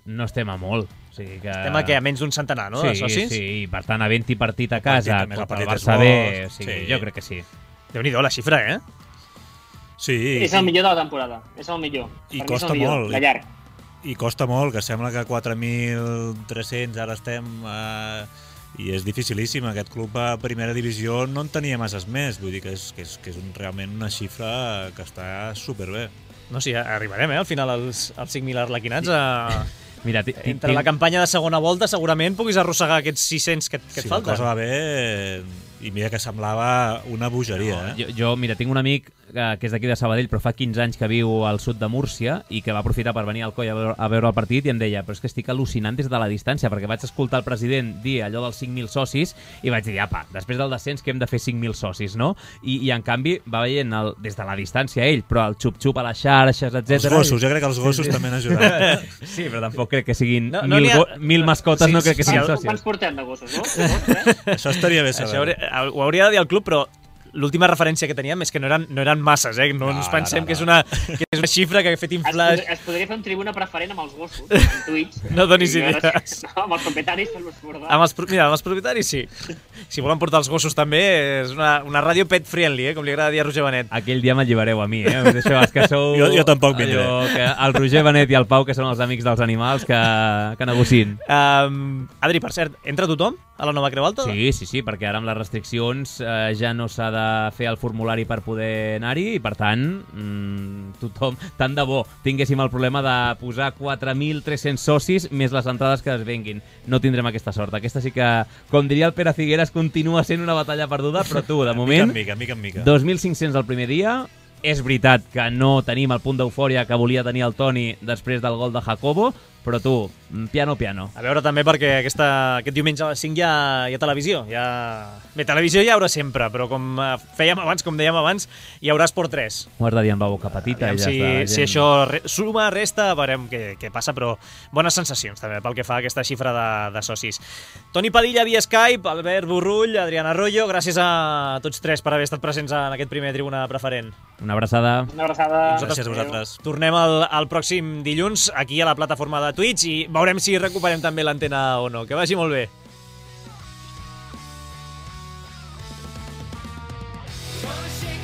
No estem a molt. O sigui que... Estem a què? A menys d'un centenar, no, sí, de socis? Sí, sí, per tant, havent-hi partit a casa partit, contra el el Barça B, o sigui, sí. Jo crec que sí. Déu-n'hi-do la xifra, eh? Sí. És el millor de la temporada, és el millor. I per costa millor, molt. De llarg. I costa molt, que sembla que quatre mil tres-cents ara estem... Eh, i és dificilíssim. Aquest club a primera divisió no en tenia masses més, vull dir que és, que és, que és un, realment una xifra que està superbé. No, sí, arribarem, eh, al final, als, als cinc mil arlequinats a... Mira, entre la campanya de segona volta segurament puguis arrossegar aquests sis-cents que, que si et falten. Si la cosa va bé, i mira que semblava una bogeria. No, eh? jo, jo, mira, tinc un amic que, que és d'aquí de Sabadell, però fa quinze anys que viu al sud de Múrcia i que va aprofitar per venir al Coll a veure, a veure el partit i em deia, però és que estic al·lucinant des de la distància, perquè vaig escoltar el president dir allò dels cinc mil socis i vaig dir, apa, després del descens que hem de fer cinc mil socis, no? I, i en canvi va veient el, des de la distància ell, però el xup-xup a les xarxes, etcètera. Els gossos, jo crec que els gossos sí, sí. també han ajudat. Sí, però tampoc crec que siguin no, no mil, ha... mil mascotes, sí, no crec que siguin sí, sòcies. Quants portem de gossos, no? Això estaria bé saber. Això hauria, ho hauria de dir el club, però l'última referència que teníem és que no eren, no eren masses, eh? No, no ens pensem no, no, no. Que, és una, que és una xifra que ha fet inflar... Es, pod es podria fer un tribuna preferent amb els gossos, en Twitch. No donis idees. No, amb els propietaris per l'Esbordar. Amb els, mira, amb els propietaris sí. Si volen portar els gossos també, és una, una ràdio pet friendly, eh? Com li agrada dir a Roger Benet. Aquell dia m'allibereu a mi, eh? Deixeu, és que sou... jo, jo tampoc vindré. Que el Roger Benet i el Pau, que són els amics dels animals, que, que negocien. Um, Adri, per cert, entra tothom a la nova Creu Alta? Sí, sí, sí, perquè ara amb les restriccions eh, ja no s'ha de fer el formulari per poder anar-hi i, per tant, mmm, tothom, tant de bo, tinguéssim el problema de posar quatre mil tres-cents socis més les entrades que es venguin. No tindrem aquesta sort. Aquesta sí que, com diria el Pere Figueres, continua sent una batalla perduda, però tu, de moment, mica en mica, mica en mica. dos mil cinc-cents el primer dia. És veritat que no tenim el punt d'eufòria que volia tenir el Toni després del gol de Jacobo, però tu, piano, piano. A veure també perquè aquesta, aquest diumenge a les cinc hi ha, hi ha televisió. Hi ha... Bé, televisió hi haurà sempre, però com fèiem abans, com dèiem abans, hi haurà Esport tres. Ho has de dir amb la boca petita. I ja si, està, si això re, suma, resta, veurem què, què passa, però bones sensacions també pel que fa a aquesta xifra de, de socis. Toni Padilla via Skype, Albert Burrull, Adrián Arroyo, gràcies a tots tres per haver estat presents en aquest primer tribuna preferent. Una abraçada. Una abraçada. Gràcies a vosaltres. Tornem el, el pròxim dilluns aquí a la plataforma de Twitch i veurem si recuperem també l'antena o no. Que vagi molt bé. Shake